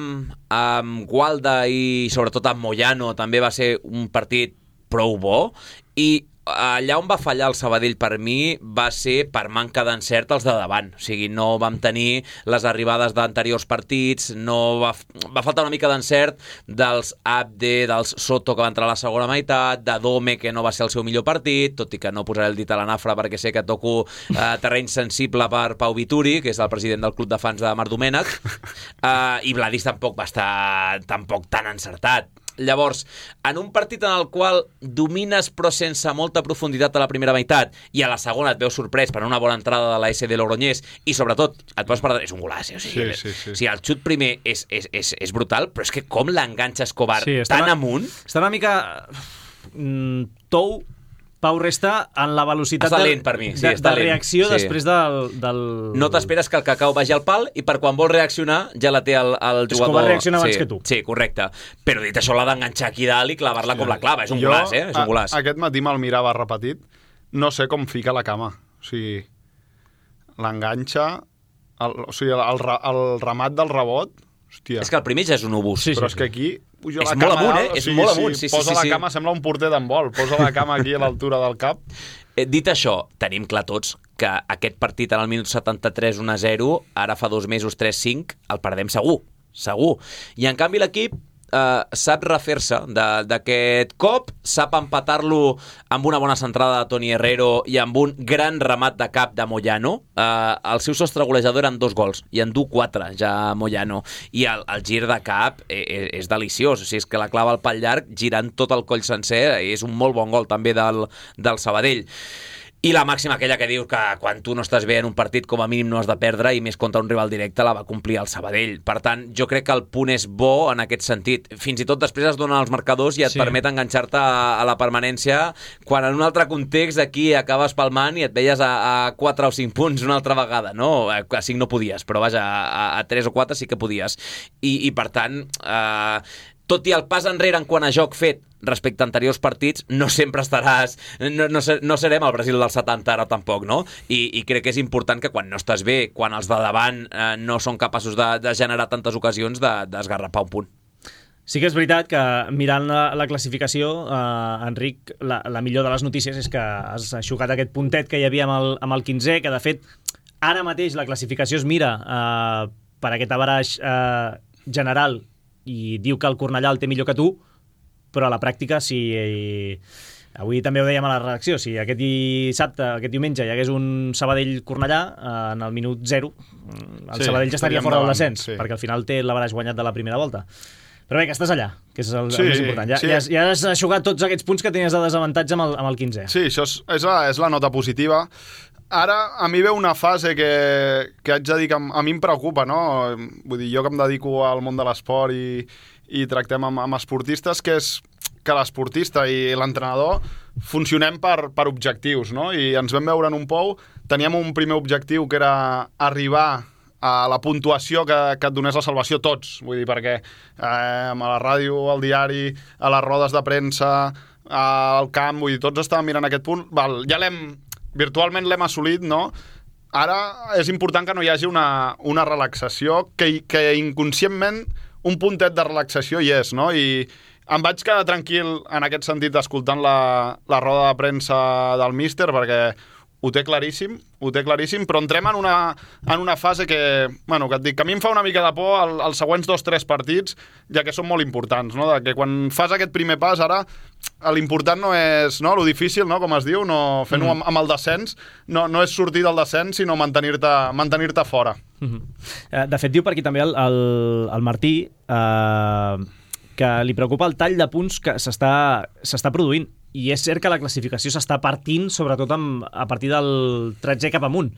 amb Gualda i sobretot amb Moyano, també va ser un partit prou bo, i allà on va fallar el Sabadell per mi va ser per manca d'encert els de davant, o sigui, no vam tenir les arribades d'anteriors partits, no va, va faltar una mica d'encert dels Abde, dels Soto, que va entrar a la segona meitat, de Dome, que no va ser el seu millor partit, tot i que no posaré el dit a la nafra perquè sé que toco eh, terreny sensible per Pau Vituri, que és el president del club de fans de Marc Domènech, eh, i Vladis tampoc va estar tampoc tan encertat. Llavors, en un partit en el qual domines però sense molta profunditat a la primera meitat i a la segona et veus sorprès per una bona entrada de la S D Logroñés i sobretot et pots perdre, és un golaç, o sigui, sí, sí, sí. O sigui, el xut primer és, és, és, és brutal, però és que com l'enganxa Escobar sí, tan una, amunt... Està una mica mm, tou Pau resta en la velocitat està de, lent per mi, sí, de, està de lent. reacció sí. després del, del... No t'esperes que el cacau vagi al pal i per quan vol reaccionar ja la té el, el jugador. Escobar reacciona abans sí, que tu. Sí, correcte. Però dit això, l'ha d'enganxar aquí dalt i clavar-la sí. com la clava. És un jo, golaç, eh? És un golaç. A, aquest matí me'l mirava repetit. No sé com fica la cama. O sigui, l'enganxa... El, o sigui, el, el, el remat del rebot... Hòstia. És que el primer ja és un obús. Sí, però sí, és que aquí... Puja és la molt cama amunt, dalt, eh? És o sigui, molt amunt. Sí, sí, posa sí, la sí. cama, sembla un porter d'handbol. Posa la cama aquí a l'altura del cap. Eh, dit això, tenim clar tots que aquest partit en el minut setanta-tres un a zero, ara fa dos mesos tres cinc, el perdem segur, segur. I en canvi l'equip eh, sap refer-se d'aquest cop, sap empatar-lo amb una bona centrada de Toni Herrero i amb un gran remat de cap de Moyano. Eh, el seu sostre golejador eren dos gols i en du quatre ja Moyano, i el, el gir de cap és, és deliciós, o sigui, és que la clava al pal llarg girant tot el coll sencer, és un molt bon gol també del, del Sabadell. I la màxima aquella que diu que quan tu no estàs bé en un partit com a mínim no has de perdre, i més contra un rival directe, la va complir el Sabadell. Per tant, jo crec que el punt és bo en aquest sentit. Fins i tot després es donen els marcadors i et sí. permet enganxar-te a, a la permanència, quan en un altre context aquí acabes palmant i et veies a, a quatre o cinc punts una altra vegada, no? A cinc no podies, però vaja, a, a tres o quatre sí que podies. I, i per tant, eh, tot i el pas enrere en quant a joc fet respecte a anteriors partits, no sempre estaràs... No, no, no serem el Brasil del setanta ara tampoc, no? I, i crec que és important que quan no estàs bé, quan els de davant eh, no són capaços de, de generar tantes ocasions, d'esgarrapar de, un punt. Sí que és veritat que mirant la, la classificació, eh, Enric, la, la millor de les notícies és que has aixucat aquest puntet que hi havia amb el, amb el quinzè, que de fet ara mateix la classificació es mira eh, per aquest averaix eh, general i diu que el Cornellà el té millor que tu, però a la pràctica, si eh, avui també ho dèiem a la redacció, si aquest dissabte, aquest diumenge hi hagués un Sabadell-Cornellà eh, en el minut zero, el sí, Sabadell ja estaria fora del descens, sí. perquè al final té l'averaix guanyat de la primera volta. Però bé, que estàs allà, que és el, sí, el més important. Ja, sí. ja, has, ja has aixugat tots aquests punts que tenies de desavantatge amb el, amb el quinzè. Sí, això és, és, la, és la nota positiva. Ara, a mi ve una fase que, que haig de dir que a mi em preocupa, no? Vull dir, jo que em dedico al món de l'esport i, i tractem amb, amb esportistes, que és que l'esportista i l'entrenador funcionem per, per objectius, no? I ens vam veure en un pou, teníem un primer objectiu que era arribar a la puntuació que, que et donés la salvació tots, vull dir, perquè eh, a la ràdio, al diari, a les rodes de premsa, al camp, vull dir, tots estàvem mirant aquest punt, val, ja l'hem, virtualment l'hem assolit, no? ara és important que no hi hagi una, una relaxació, que, que inconscientment un puntet de relaxació hi és, no? I em vaig quedar tranquil en aquest sentit escoltant la, la roda de premsa del míster, perquè ho té claríssim, ho té claríssim, però entrem en una, en una fase que, bueno, que et dic, que a mi em fa una mica de por el, els següents dos o tres partits, ja que són molt importants, no? De que quan fas aquest primer pas, ara, l'important no és, no? Lo difícil, no? Com es diu, no fent-ho mm. amb, amb el descens, no, no és sortir del descens, sinó mantenir-te mantenir-te fora. Mm-hmm. De fet, diu per aquí també el, el, el Martí eh, que li preocupa el tall de punts que s'està s'està produint. I és cert que la classificació s'està partint, sobretot amb, a partir del tretzè cap amunt,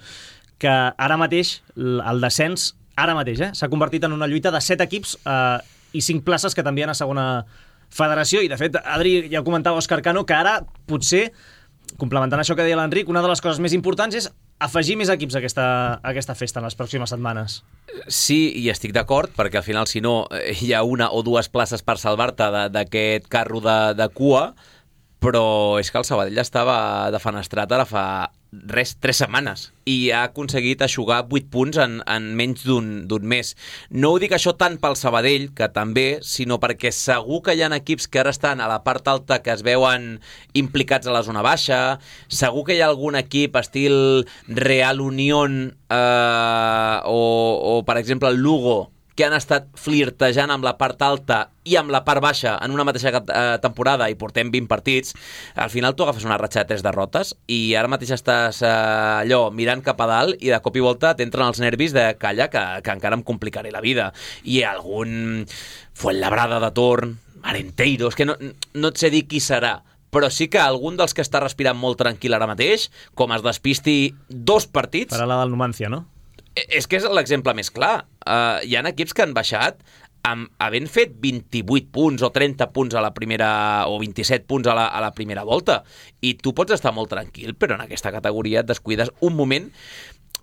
que ara mateix, el descens, ara mateix, eh, s'ha convertit en una lluita de set equips eh, i cinc places que també hi ha a segona federació. I, de fet, Adri, ja ho comentava Òscar Cano, que ara, potser, complementant això que deia l'Enric, una de les coses més importants és afegir més equips a aquesta, a aquesta festa en les pròximes setmanes. Sí, i estic d'acord, perquè al final, si no, hi ha una o dues places per salvar-te d'aquest carro de, de cua, però és que el Sabadell estava defenestrat ara fa res, tres setmanes, i ha aconseguit eixugar vuit punts en, en menys d'un mes. No ho dic això tant pel Sabadell, que també, sinó perquè segur que hi ha equips que ara estan a la part alta que es veuen implicats a la zona baixa, segur que hi ha algun equip estil Real Unión eh, o, o, per exemple, el Lugo, que han estat flirtejant amb la part alta i amb la part baixa en una mateixa eh, temporada i portem vint partits, al final tu agafes una ratxa de tres derrotes i ara mateix estàs eh, allò mirant cap a dalt i de cop i volta t'entren els nervis de calla que, que encara em complicaré la vida. I algun Fuenlabrada de torn, Arenteiro, és que no, no et sé dir qui serà, però sí que algun dels que està respirant molt tranquil ara mateix, com es despisti dos partits... Per a la del Numancia, no? És que és l'exemple més clar. Uh, hi ha equips que han baixat amb, havent fet vint-i-vuit punts o trenta punts a la primera, o vint-i-set punts a la, a la primera volta. I tu pots estar molt tranquil, però en aquesta categoria et descuides un moment,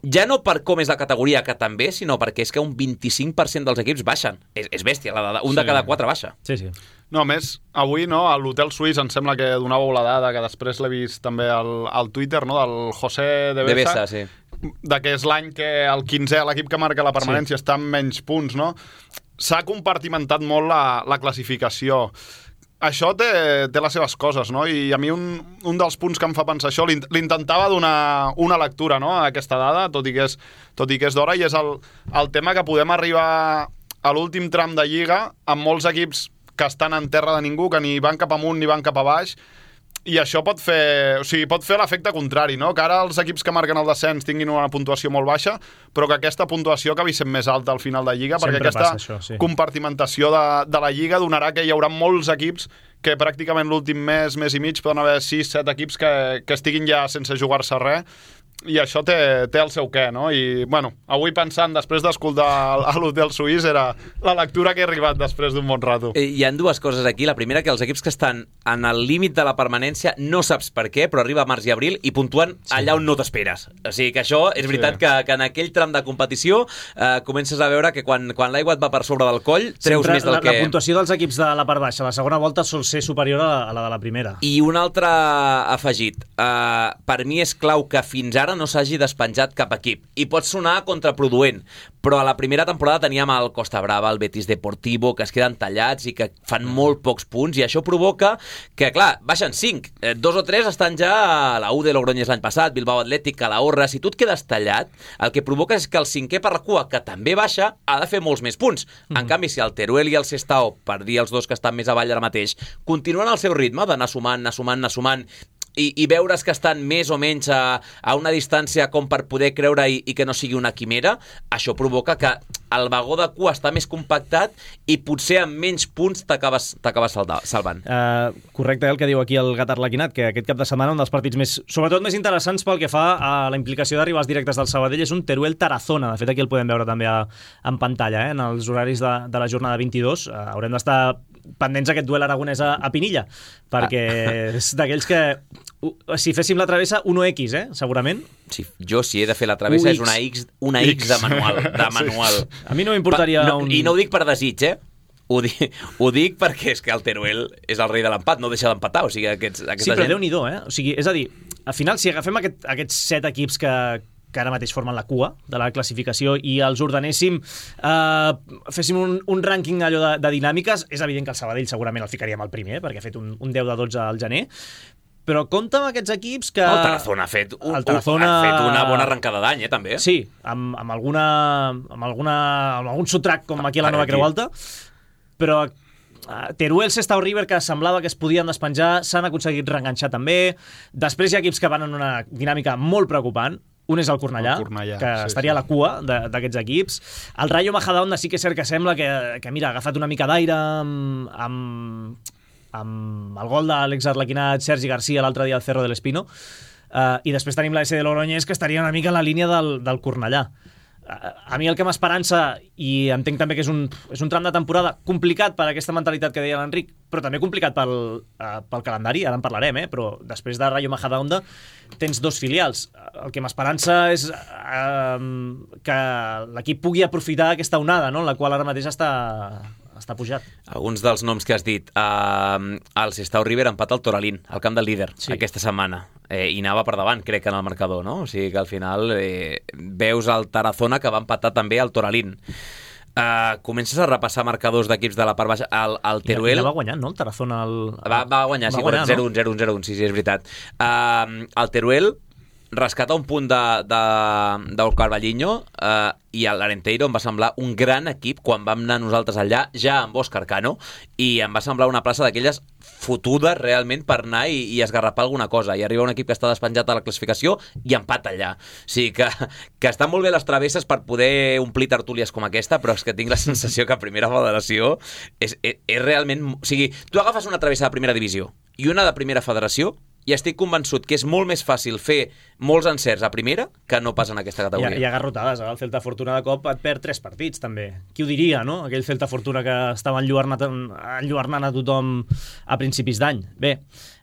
ja no per com és la categoria, que també, sinó perquè és que un vint-i-cinc per cent dels equips baixen. És, és bèstia, la de, un sí. de cada quatre baixa. Sí, sí. No, a més, avui no, a l'Hotel Suís em sembla que donàveu la dada, que després l'he vist també al, al Twitter, no, del José de Besa, de Besa sí. de que és l'any que el quinzè, l'equip que marca la permanència, sí. està amb menys punts, no? S'ha compartimentat molt la, la classificació. Això té, té les seves coses, no? I a mi un, un dels punts que em fa pensar això, l'intentava donar una lectura, no?, a aquesta dada, tot i que és, tot i que és d'hora, i és el, el tema que podem arribar a l'últim tram de Lliga amb molts equips que estan en terra de ningú, que ni van cap amunt ni van cap a baix, i això pot fer, o sigui, pot fer l'efecte contrari, no? Que ara els equips que marquen el descens tinguin una puntuació molt baixa, però que aquesta puntuació acabi sent més alta al final de Lliga, sempre perquè aquesta això, sí. compartimentació de, de la Lliga donarà que hi haurà molts equips que pràcticament l'últim mes, mes i mig, poden haver sis set equips que, que estiguin ja sense jugar-se res, i això té, té el seu què, no? I, bueno, avui pensant, després d'escoltar a l'Hotel Suís, era la lectura que he arribat després d'un bon rato. Hi ha dues coses aquí. La primera, que els equips que estan en el límit de la permanència no saps per què, però arriba març i abril i puntuen sí. allà on no t'esperes. O sigui que això és veritat sí. que, que en aquell tram de competició eh, comences a veure que quan, quan l'aigua et va per sobre del coll, treus sempre més del la, que... La puntuació dels equips de la part baixa, la segona volta sol ser superior a la, a la de la primera. I un altre afegit. Eh, per mi és clau que fins ara no s'hagi despenjat cap equip. I pot sonar contraproduent, però a la primera temporada teníem el Costa Brava, el Betis Deportivo, que es queden tallats i que fan molt pocs punts, i això provoca que, clar, baixen cinc. Eh, dos o tres estan ja a la U de Logroñés l'any passat, Bilbao Atlètic, Calahorra. Si tu et quedes tallat, el que provoca és que el cinquè per la cua, que també baixa, ha de fer molts més punts. Mm-hmm. En canvi, si el Teruel i el Sestao, per dir els dos que estan més avall ara mateix, continuen al seu ritme d'anar sumant, anar sumant, anar sumant, I, i veure's que estan més o menys a, a una distància com per poder creure i, i que no sigui una quimera, això provoca que el vagó de cua està més compactat i potser amb menys punts t'acabes salvant. Uh, correcte, el que diu aquí el Gat Arlequinat, que aquest cap de setmana un dels partits més, sobretot més interessants pel que fa a la implicació de rivals directes del Sabadell és un Teruel-Tarazona. De fet, aquí el podem veure també a, en pantalla, eh, en els horaris de, de la jornada vint-i-dos. Uh, haurem d'estar pendents aquest duel aragonès a, a Pinilla, perquè ah. és d'aquells que si féssim la travessa, uno equis, eh? Segurament. Sí, jo si he de fer la travessa és una X, una X, X de manual. De manual. Sí. A mi no m'importaria no, un... I no ho dic per desig, eh? Ho dic, ho dic perquè és que el Teruel és el rei de l'empat, no deixa d'empatar, o sigui, aquests, aquesta sí, però gent... Déu-n'hi-do, eh? O sigui, és a dir, al final, si agafem aquest, aquests set equips que, que ara mateix formen la cua de la classificació, i els ordenéssim, eh, féssim un, un rànquing allò de, de dinàmiques, és evident que el Sabadell segurament el ficaríem al primer, perquè ha fet un, un deu de dotze al gener, però compta amb aquests equips que... El Tarazona ha fet, un, el Tarazona... ha fet una bona arrencada d'any, eh, també. Sí, amb, amb, alguna, amb, alguna, amb algun sotrac com aquí a la Nova Creu Alta, però Teruel, Sestao, River, que semblava que es podien despenjar, s'han aconseguit reenganxar també. Després hi ha equips que van en una dinàmica molt preocupant. Un és el Cornellà, el Cornellà que sí, estaria sí. a la cua d'aquests equips. El Rayo Majadahonda sí que és cert que sembla que, que mira, ha agafat una mica d'aire amb, amb, amb el gol de l'exarlequinat Sergi Garcia l'altre dia al Cerro del Espino. Uh, I després tenim la S de Logroñés, que estaria una mica en la línia del, del Cornellà. A mi el que m'esperança, i entenc també que és un, és un tram de temporada complicat per aquesta mentalitat que deia l'Enric, però també complicat pel, uh, pel calendari, ara en parlarem, eh? Però després de Rayo Majadahonda tens dos filials. El que m'esperança és uh, que l'equip pugui aprofitar aquesta onada, no? En la qual ara mateix està... està pujat. Alguns dels noms que has dit. Uh, el Sestao River empat al Toralín, al camp del líder, sí. aquesta setmana. Eh, I anava per davant, crec, en el marcador, no? O sigui que al final eh, veus el Tarazona, que va empatar també al Toralín. Uh, comences a repassar marcadors d'equips de la part baixa. El, el Teruel... Ja va guanyant, no? El Tarazona... El... Va, va guanyar, va sí, guanyar, zero un, no? zero un, zero un, sí, sí, és veritat. Uh, el Teruel rescata un punt de, de, del Carballiño eh, i l'Arenteiro em va semblar un gran equip quan vam anar nosaltres allà, ja amb Òscar Cano, i em va semblar una plaça d'aquelles fotudes realment per anar i, i esgarrapar alguna cosa, i arriba un equip que està despenjat a la classificació i empat allà. O sigui que, que estan molt bé les travesses per poder omplir tertúlies com aquesta, però és que tinc la sensació que a primera federació és, és, és realment... O sigui, tu agafes una travessa de primera divisió i una de primera federació, i estic convençut que és molt més fàcil fer molts encerts a primera que no pas en aquesta categoria. Hi ha, hi ha garrotades, eh? El Celta Fortuna de cop et perd tres partits, també. Qui ho diria, no? Aquell Celta Fortuna que estava enlluernat, enlluernant a tothom a principis d'any. Bé,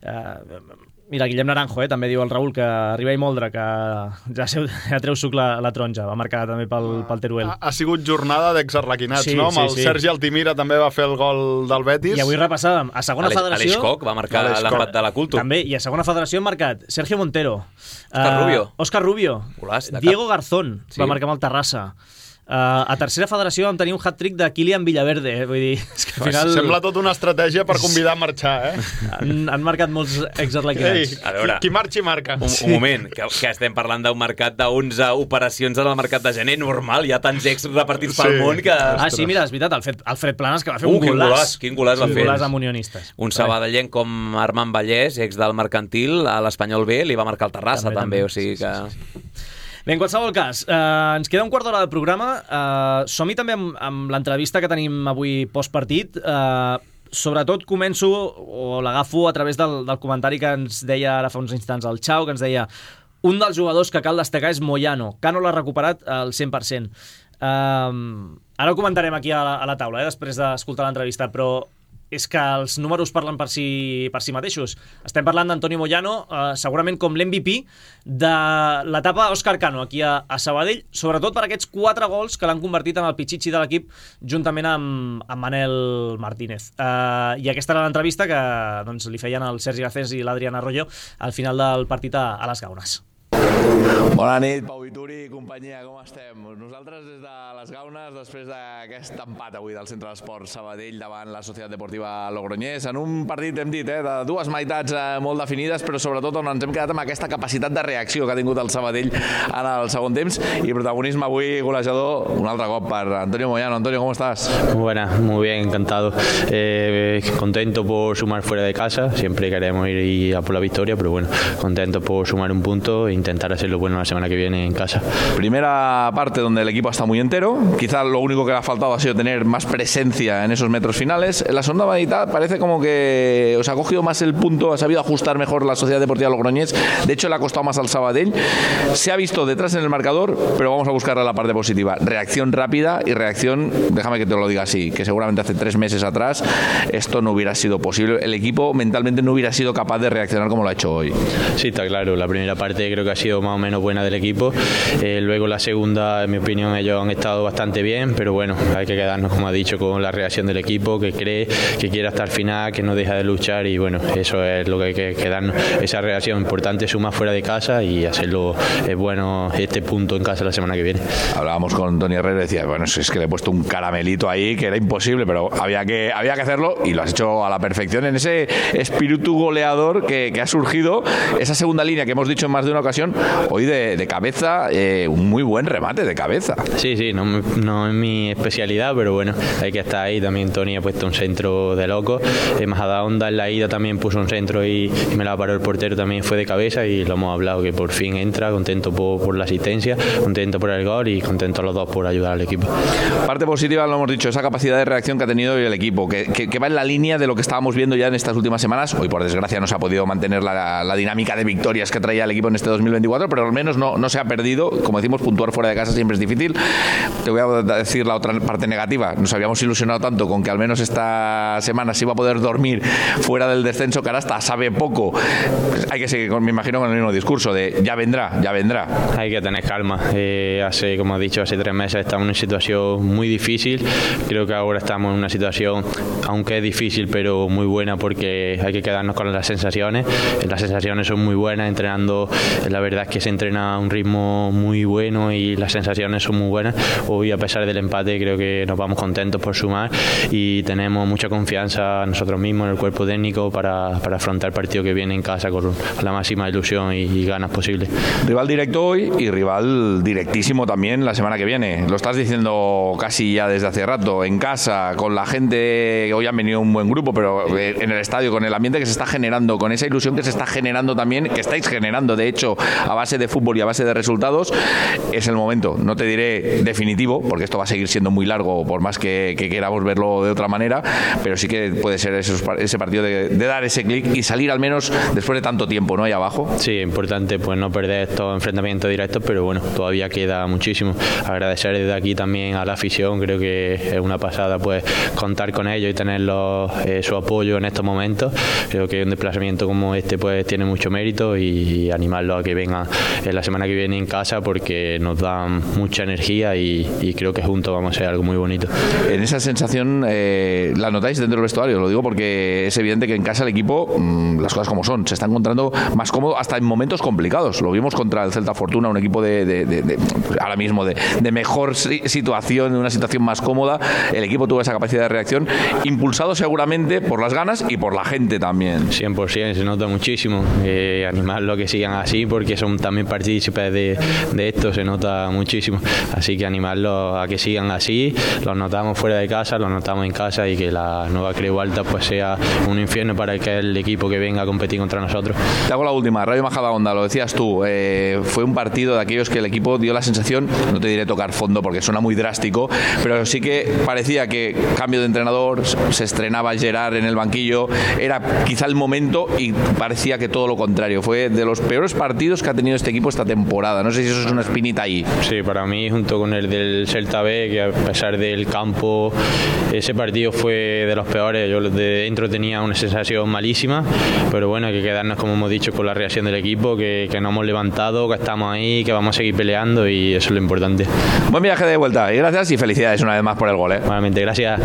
eh, mira, Guillem Naranjo, eh, també diu el Raül, que arriba i Moldre, que ja, seu, ja treu suc la, la taronja, va marcar també pel, pel Teruel. Ha, ha sigut jornada d'exarlequinats, sí, no? Sí, el sí. Sergi Altimira també va fer el gol del Betis. I avui repassàvem, a segona Aleix, federació... Aleix Koch va marcar l'empat de la Culto. També, i a segona federació han marcat Sergio Montero, Òscar uh, Rubio, Òscar Rubio Golàs, Diego Garzón, sí. va marcar amb el Terrassa. Uh, a tercera federació vam tenir un hat-trick de Kylian Villaverde, eh? Vull dir, és que al final... Sembla tota una estratègia per convidar a marxar, eh? Han, han marcat molts exarlequinats. A veure, qui, qui marxi marca. Un, un moment, que, que estem parlant d'un mercat d'onze operacions en el mercat de gener, normal, hi ha tants ex repartits pel sí. món que... Ah, sí, mira, és veritat, Alfred, Alfred Planas, que va fer uh, un quin golàs. Quin golàs va sí, fer. Golàs amb Unionistes. Un sabadellenc com Armand Vallès, ex del Mercantil, a l'Espanyol B, li va marcar el Terrassa, també, també, també. O sigui que... Sí, sí, sí. Bé, en qualsevol cas, eh, ens queda un quart d'hora del programa. Eh, som-hi també amb, amb l'entrevista que tenim avui postpartit. Eh, sobretot començo, o l'agafo a través del, del comentari que ens deia ara fa uns instants el Xau, que ens deia un dels jugadors que cal destacar és Moyano. Cano l'ha recuperat al cent per cent. Eh, ara ho comentarem aquí a la, a la taula, eh, després d'escoltar l'entrevista, però és que els números parlen per si, per si mateixos. Estem parlant d'Antonio Moyano, eh, segurament com l'M V P de l'etapa Òscar Cano aquí a, a Sabadell, sobretot per aquests quatre gols que l'han convertit en el pitxitxi de l'equip juntament amb, amb Manel Martínez. Eh, I aquesta era l'entrevista que doncs, li feien el Sergi Garcés i l'Adrián Arroyo al final del partit a, a les Gaunes. Bona nit, Pau Vituri i companyia, com estem? Nosaltres des de les Gaunes, després d'aquest empat avui del Centre d'Esports Sabadell davant la Societat Deportiva Logroñés, en un partit, hem dit, eh, de dues meitats eh, molt definides, però sobretot on ens hem quedat amb aquesta capacitat de reacció que ha tingut el Sabadell en el segon temps, i protagonisme avui golejador un altre cop per Antonio Moyano. Antonio, ¿cómo estás? Buenas, muy bien, encantado. Eh, contento por sumar fuera de casa, siempre queremos ir a por la victoria, pero bueno, contento por sumar un punto e intentar hacerlo bueno la semana que viene en casa. Primera parte donde el equipo está muy entero, quizás lo único que le ha faltado ha sido tener más presencia en esos metros finales. En la segunda mitad parece como que os ha cogido más el punto, ha sabido ajustar mejor la Sociedad Deportiva Logroñés, de hecho le ha costado más al Sabadell, se ha visto detrás en el marcador, pero vamos a buscar la parte positiva, reacción rápida y reacción, déjame que te lo diga así, que seguramente hace tres meses atrás esto no hubiera sido posible, el equipo mentalmente no hubiera sido capaz de reaccionar como lo ha hecho hoy. Sí, está claro, la primera parte creo que ha sido más más o menos buena del equipo. Eh, luego la segunda, en mi opinión, ellos han estado bastante bien, pero bueno, hay que quedarnos, como ha dicho, con la reacción del equipo, que cree, que quiere hasta el final, que no deja de luchar, y bueno, eso es lo que hay que quedarnos, esa reacción importante, sumar fuera de casa y hacerlo eh, bueno este punto en casa la semana que viene. Hablábamos con Toni Herrera y decía, bueno, es que le he puesto un caramelito ahí que era imposible, pero había que, había que hacerlo y lo has hecho a la perfección en ese espíritu goleador que, que ha surgido, esa segunda línea que hemos dicho en más de una ocasión, hoy de, de cabeza, eh, un muy buen remate de cabeza. Sí, sí, no, no es mi especialidad, pero bueno, hay que estar ahí. También Toni ha puesto un centro de loco, eh, Majadahonda en la ida también puso un centro y, y me la paró el portero, también fue de cabeza, y lo hemos hablado, que por fin entra, contento por, por la asistencia, contento por el gol y contento los dos por ayudar al equipo. Parte positiva, lo hemos dicho, esa capacidad de reacción que ha tenido hoy el equipo, que, que, que va en la línea de lo que estábamos viendo ya en estas últimas semanas. Hoy, por desgracia, no se ha podido mantener la, la dinámica de victorias que traía el equipo en este dos mil veinticuatro, pero al menos no, no se ha perdido. Como decimos, puntuar fuera de casa siempre es difícil. Te voy a decir la otra parte negativa. Nos habíamos ilusionado tanto con que al menos esta semana se iba a poder dormir fuera del descenso, que ahora hasta sabe poco. Pues hay que seguir, me imagino, con el mismo discurso de ya vendrá, ya vendrá. Hay que tener calma. Eh, hace, como he dicho, hace tres meses estamos en una situación muy difícil. Creo que ahora estamos en una situación, aunque es difícil, pero muy buena, porque hay que quedarnos con las sensaciones. Las sensaciones son muy buenas, entrenando, la verdad es que se entrena a un ritmo muy bueno y las sensaciones son muy buenas. Hoy, a pesar del empate, creo que nos vamos contentos por sumar y tenemos mucha confianza nosotros mismos, en el cuerpo técnico, para, para afrontar el partido que viene en casa con la máxima ilusión y, y ganas posibles. Rival directo hoy y rival directísimo también la semana que viene. Lo estás diciendo casi ya desde hace rato, en casa, con la gente. Hoy han venido un buen grupo, pero en el estadio, con el ambiente que se está generando, con esa ilusión que se está generando también, que estáis generando, de hecho, a base de fútbol y a base de resultados, es el momento. No te diré definitivo, porque esto va a seguir siendo muy largo, por más que, que queramos verlo de otra manera, pero sí que puede ser esos, ese partido de, de dar ese clic y salir al menos después de tanto tiempo, ¿no? Ahí abajo. Sí, importante pues no perder estos enfrentamientos directos, pero bueno, todavía queda muchísimo. Agradecer desde aquí también a la afición, creo que es una pasada pues contar con ellos y tenerlos, eh, su apoyo en estos momentos. Creo que un desplazamiento como este pues tiene mucho mérito, y, y animarlos a que vengan eh, la semana que viene en casa, porque nos dan mucha energía y, y creo que juntos vamos a hacer algo muy bonito. En esa sensación, eh, ¿la notáis dentro del vestuario? Lo digo porque es evidente que en casa el equipo, mmm, las cosas como son, se está encontrando más cómodo hasta en momentos complicados. Lo vimos contra el Celta Fortuna, un equipo de, de, de, de ahora mismo de, de mejor situación, de una situación más cómoda. El equipo tuvo esa capacidad de reacción, impulsado seguramente por las ganas y por la gente también. cien por ciento, se nota muchísimo. Eh, animarlo a que sigan así, porque son también partícipes de, de esto, se nota muchísimo. Así que animarlos a que sigan así. Los notamos fuera de casa, los notamos en casa, y que la nueva Creu Alta pues sea un infierno para que el equipo que venga a competir contra nosotros. Te hago la última. Rayo Majadahonda, lo decías tú, eh, fue un partido de aquellos que el equipo dio la sensación, no te diré tocar fondo porque suena muy drástico, pero sí que parecía que cambio de entrenador, se estrenaba Gerard en el banquillo, era quizá el momento, y parecía que todo lo contrario. Fue de los peores partidos que ha tenido este equipo esta temporada. No sé si eso es una espinita ahí. Sí, para mí, junto con el del Celta B, que a pesar del campo, ese partido fue de los peores. Yo de dentro tenía una sensación malísima, pero bueno, hay que quedarnos, como hemos dicho, con la reacción del equipo, que, que nos hemos levantado, que estamos ahí, que vamos a seguir peleando, y eso es lo importante. Buen viaje de vuelta, y gracias, y felicidades una vez más por el gol, ¿eh? Nuevamente, gracias.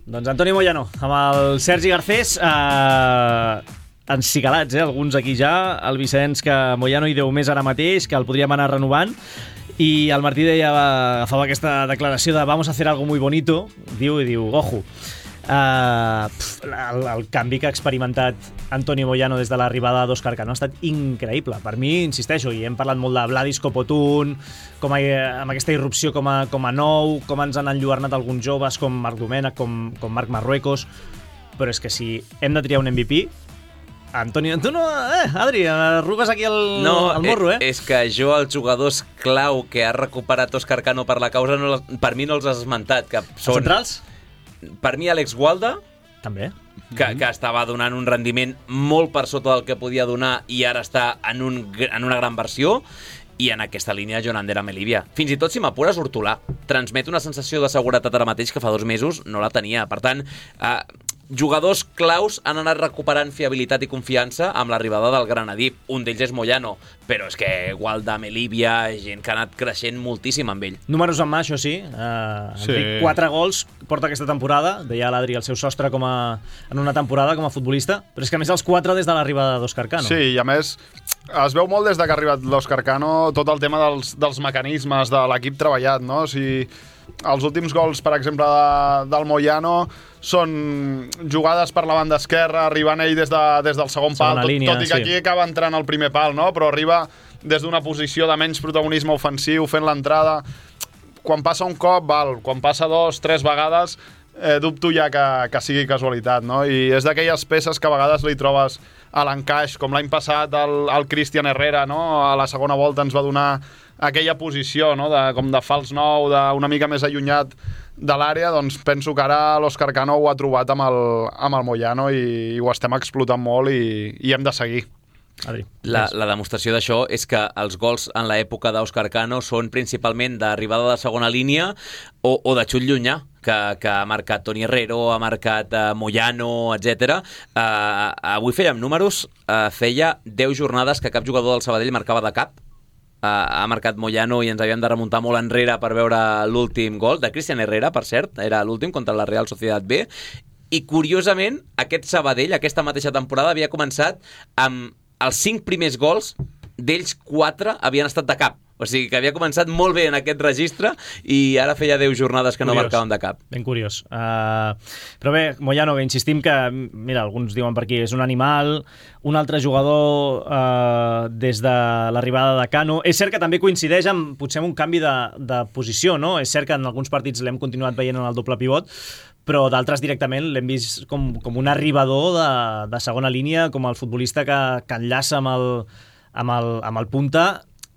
Doncs Antoni Moyano, amb el Sergi Garcés, eh, encicalats, eh, alguns aquí ja. El Vicenç, que Moyano hi deu més ara mateix, que el podríem anar renovant. I el Martí deia, agafava aquesta declaració de vamos a hacer algo muy bonito, diu i diu, ojo. Uh, pf, el, el canvi que ha experimentat Antoni Moyano des de l'arribada d'Òscar Cano ha estat increïble. Per mi, insisteixo, i hem parlat molt de Vladis Copotun, com a, amb aquesta irrupció com a, com a nou, com ens han enlluernat alguns joves com Marc Domènech, com, com Marc Marruecos, però és que si hem de triar un M V P, Antoni, tu no... Eh, Adri, arrugues aquí el, no, el morro, eh? És que jo, els jugadors clau que ha recuperat Òscar Cano per la causa, no, per mi no els has esmentat. Que són... Els centrals? Per mi, Àlex Gualda, també, que, que estava donant un rendiment molt per sota del que podia donar i ara està en, un, en una gran versió, i en aquesta línia Jon Ander Melivia. Fins i tot, si m'apures, Hortolà transmet una sensació de seguretat ara mateix que fa dos mesos no la tenia. Per tant, eh, jugadors claus han anat recuperant fiabilitat i confiança amb l'arribada del Granadí. Un d'ells és Moyano, però és que Gualda, Melívia, gent que ha anat creixent moltíssim amb ell. Números en mà, això sí. Uh, Sí. Enric, quatre gols porta aquesta temporada. Deia l'Adri el seu sostre com a, en una temporada com a futbolista, però és que a més els quatre des de l'arribada d'Òscar Cano. Sí, i a més es veu molt des de que ha arribat l'Òscar Cano tot el tema dels, dels mecanismes de l'equip treballat, no? O sigui, els últims gols, per exemple, de, del Moyano són jugades per la banda esquerra, arribant ell des, de, des del segon Segona pal, tot, línia, tot i que sí. aquí acaba entrant al primer pal, no? Però arriba des d'una posició de menys protagonisme ofensiu, fent l'entrada. Quan passa un cop, val. Quan passa dos, tres vegades, eh, dubto ja que, que sigui casualitat, no? I és d'aquelles peces que a vegades li trobes a l'encaix, com l'any passat el, el Cristian Herrera, no? A la segona volta ens va donar aquella posició, no? De, com de fals nou, d'una mica més allunyat de l'àrea, doncs penso que ara l'Òscar Cano ho ha trobat amb el, amb el Moyano i, i ho estem explotant molt i, i hem de seguir. Adri. La, la demostració d'això és que els gols en l'època d'Òscar Cano són principalment d'arribada de segona línia o, o de xut llunyà, que, que ha marcat Toni Herrero, ha marcat uh, Moyano, etcètera. Uh, avui fèiem números, uh, feia deu jornades que cap jugador del Sabadell marcava de cap. Uh, ha marcat Moyano i ens havíem de remuntar molt enrere per veure l'últim gol de Cristian Herrera, per cert, era l'últim contra la Real Sociedad B. I curiosament, aquest Sabadell, aquesta mateixa temporada, havia començat amb els cinc primers gols, d'ells quatre havien estat de cap. O sigui que havia començat molt bé en aquest registre i ara feia deu jornades que no Curiós. marcaven de cap. Ben curiós. Uh, però bé, Moyano, que insistim que, mira, alguns diuen per aquí, és un animal, un altre jugador uh, des de l'arribada de Cano. És cert que també coincideix amb, potser, amb un canvi de, de posició, no? És cert que en alguns partits l'hem continuat veient en el doble pivot, però d'altres directament l'hem vist com, com un arribador de, de segona línia, com el futbolista que, que enllaça amb el, amb el, amb el punta,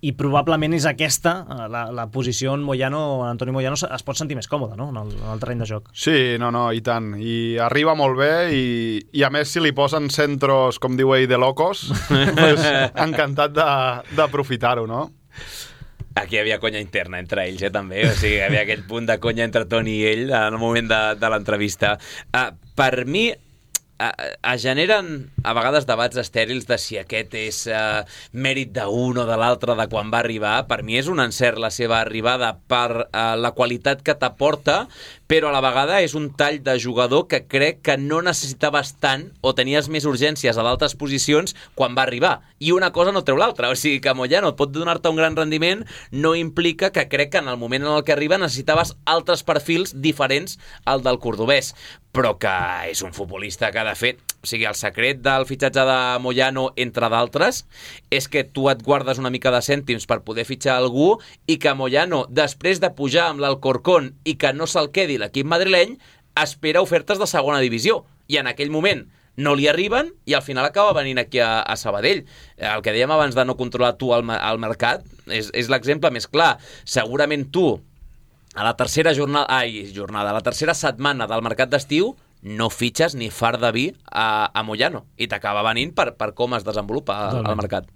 i probablement és aquesta la, la posició on Moyano, Antoni Moyano es pot sentir més còmode, no? en, el, en el terreny de joc. Sí, no, no, i tant. I arriba molt bé i, i a més si li posen centros, com diu ell, de locos, pues, encantat d'aprofitar-ho, no? Aquí hi havia conya interna entre ells, eh, també. O sigui, hi havia aquell punt de conya entre Toni i ell en el moment de, de l'entrevista. Uh, per mi, es generen a vegades debats estèrils de si aquest és uh, mèrit d'un o de l'altre de quan va arribar. Per mi és un encert la seva arribada per uh, la qualitat que t'aporta, però a la vegada és un tall de jugador que crec que no necessitaves tant o tenies més urgències a d'altres posicions quan va arribar. I una cosa no treu l'altra. O sigui que Moyano et pot donar-te un gran rendiment, no implica que crec que en el moment en el que arriba necessitaves altres perfils diferents al del cordobès. Però que és un futbolista que, de fet, o sigui, el secret del fitxatge de Moyano, entre d'altres, és que tu et guardes una mica de cèntims per poder fitxar algú i que Moyano, després de pujar amb l'Alcorcón i que no se'l quedi l'equip madrileny, espera ofertes de segona divisió. I en aquell moment no li arriben i al final acaba venint aquí a, a Sabadell. El que dèiem abans de no controlar tu el, el mercat és, és l'exemple més clar. Segurament tu, a la tercera jornada, ai, jornada, a la tercera setmana del mercat d'estiu, no fitxes ni far de vi a, a Moyano i t'acaba venint per, per com es desenvolupa el, el mercat.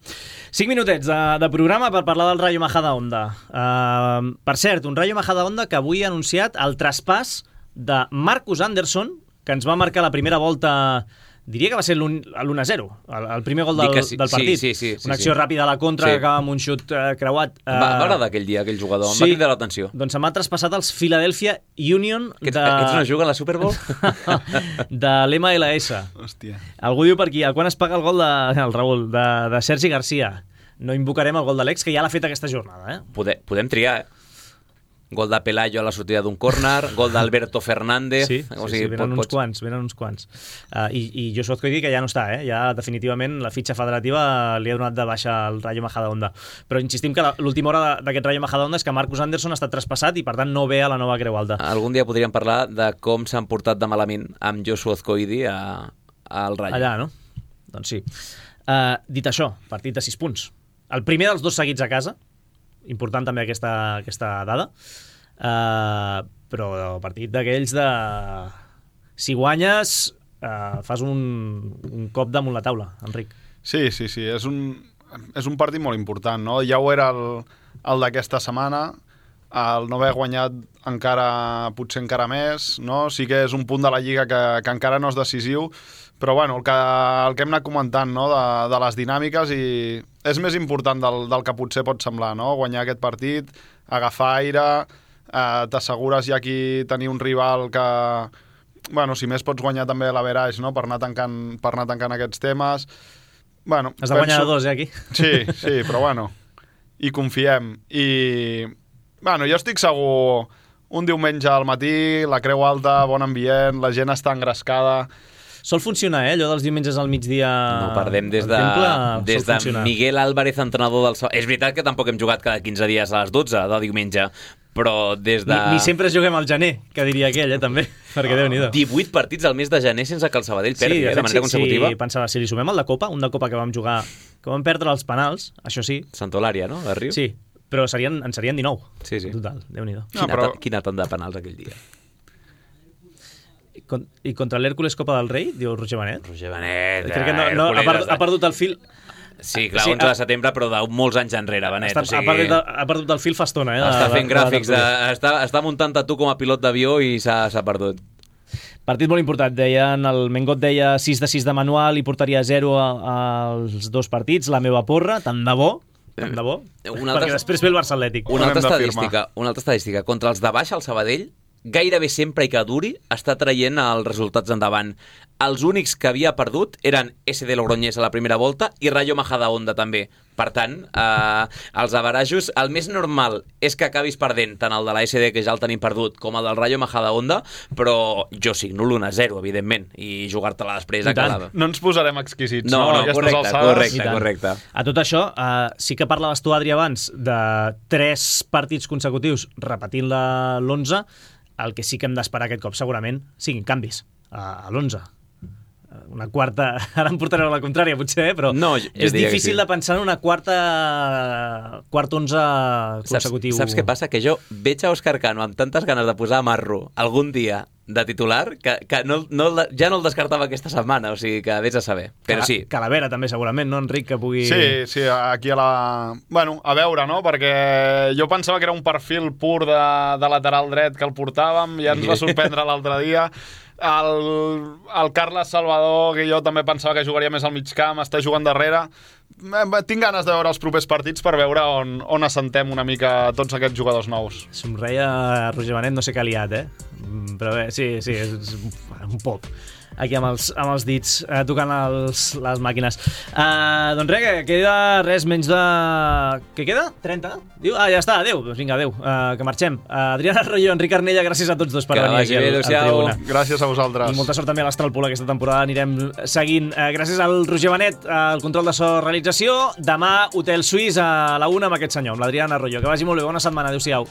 Cinc minutets de, de programa per parlar del Rayo Majadahonda. Uh, per cert, un Rayo Majadahonda que avui ha anunciat el traspàs de Marcus Anderson, que ens va marcar la primera volta, diria que va ser l'u a zero, el, el primer gol del, sí, del partit. Sí, sí, sí, Una acció sí. ràpida a la contra, sí. que acaba amb un xut uh, creuat. Uh, Va, va agradar aquell dia, aquell jugador, sí, em va cridar l'atenció. Doncs se'm ha traspassat els Philadelphia Union de... Aquests, aquests no juguen a la Super Bowl? de l'M L S. Hòstia. Algú diu per aquí, quan es paga el gol de, el Raül, de, de Sergi Garcia? No invocarem el gol de l'ex, que ja l'ha fet aquesta jornada. Eh? Podem, podem triar, eh? Gol de Pelayo a la sortida d'un córner, gol d'Alberto Fernández... Sí, sí, o sigui, sí venen pot, uns pots... quants, venen uns quants. Uh, I, i Joshua Azcóithi, que ja no està, eh? Ja definitivament la fitxa federativa li ha donat de baixa al Rayo Majadahonda. Però insistim que l'última hora d'aquest Rayo Majadahonda és que Marcus Anderson ha estat traspassat i per tant no ve a la nova Creu Alta. Algun dia podríem parlar de com s'han portat de malament amb Joshua Azcóithi al Rayo. Allà, no? Doncs sí. Uh, dit això, partit de sis punts. El primer dels dos seguits a casa, important també aquesta, aquesta dada, Uh, però partit d'aquells de... Si guanyes, uh, fas un, un cop damunt la taula, Enric. Sí, sí, sí, és un, és un partit molt important, no? Ja ho era el, el d'aquesta setmana. el no haver guanyat encara, potser encara més, no? Sí que és un punt de la Lliga que, que encara no és decisiu, però bueno, el que, el que hem anat comentant, no? de, de les dinàmiques, i és més important del, del que potser pot semblar, no? Guanyar aquest partit, agafar aire, eh, t'assegures ja aquí tenir un rival que, bueno, si més pots guanyar també l'average, no? per, anar tancant, per anar tancant aquests temes. Bueno, Has de guanyar penso... dos, eh, aquí? Sí, sí, però bueno, hi confiem. I, bueno, jo estic segur, un diumenge al matí, la Creu Alta, bon ambient, la gent està engrescada. Sol funcionar, eh? Allò dels diumenges al migdia... No perdem des de, temple, des de Miguel Álvarez, entrenador del... És veritat que tampoc hem jugat cada quinze dies a les dotze de diumenge, però des de... Ni, ni sempre juguem al gener, que diria aquell, eh, també, perquè Déu-n'hi-do. divuit partits al mes de gener sense que el Sabadell perdi, sí, eh, de manera sí, consecutiva. Sí, pensava, si li sumem el de Copa, un de Copa que vam jugar, que vam perdre els penals, això sí. Santolària, no?, de Riu? Sí, però serien, en serien dinou. Sí, sí. Total, Déu-n'hi-do. Quina, no, però... quina tant de penals aquell dia. I contra l'Hèrcules Copa del Rei, diu Roger Benet. Roger Benet, Crec que no, no, ha, perdut, ha perdut el fil... Sí, clar, sí, onze de setembre, però de molts anys enrere, Benet. Està, o sigui... ha, perdut, ha perdut el fil fa estona. Eh, està de, fent de, gràfics, de, de, està, està muntant a tu com a pilot d'avió i s'ha perdut. Partit molt important, deien, el Mengot deia sis de sis de manual i portaria zero als dos partits, la meva porra, tant de bo, tant de bo, una altra... perquè després ve el Barça Atlètic. Una altra, estadística, una altra estadística, contra els de baix, el Sabadell, gairebé sempre i que duri, està traient els resultats endavant. Els únics que havia perdut eren S D Logroñés a la primera volta i Rayo Majadahonda també. Per tant, eh, els averajos, el més normal és que acabis perdent tant el de la S D, que ja el tenim perdut, com el del Rayo Majadahonda, però jo signo l'u a zero, evidentment, i jugar-te-la després a cada... No ens posarem exquisits, no? No, no, correcte, correcte, correcte. A tot això, eh, sí que parlaves tu, Adri, abans, de tres partits consecutius repetint l'onze, el que sí que hem d'esperar aquest cop segurament siguin canvis a l'onze. Una quarta... Ara em portareu a la contrària, potser, eh? Però no, jo, jo és difícil sí. de pensar en una quarta quart onze consecutiu. Saps, saps què passa? Que jo veig a Òscar Cano amb tantes ganes de posar a Marro algun dia de titular que, que no, no, ja no el descartava aquesta setmana, o sigui que vés a saber. Però sí. Calavera també segurament, no, Enric, que pugui... Sí, sí, aquí a la... Bueno, a veure, no? Perquè jo pensava que era un perfil pur de, de lateral dret que el portàvem, ja ens va sorprendre l'altre dia. El, el Carles Salvador, que jo també pensava que jugaria més al mig camp, està jugant darrere. Tinc ganes de veure els propers partits per veure on, on assentem una mica tots aquests jugadors nous. Somreia Roger Benet, no sé què ha liat, eh? Però bé, sí, sí, és un pop aquí amb els, amb els dits eh, tocant els, les màquines. Uh, doncs res, que queda res menys de... Què queda? trenta? Diu? Ah, ja està, adéu. Doncs vinga, adéu, uh, que marxem. Uh, Adriana Arroyo, Enric Arnella, gràcies a tots dos per que venir aquí al, al Tribuna. Gràcies a vosaltres. I molta sort també a l'Astralpool aquesta temporada, anirem seguint. Uh, gràcies al Roger Benet, al control de so realització. Demà, Hotel Suís a la una amb aquest senyor, amb l'Adriana Arroyo. Que vagi molt bé, bona setmana, adéu-siau.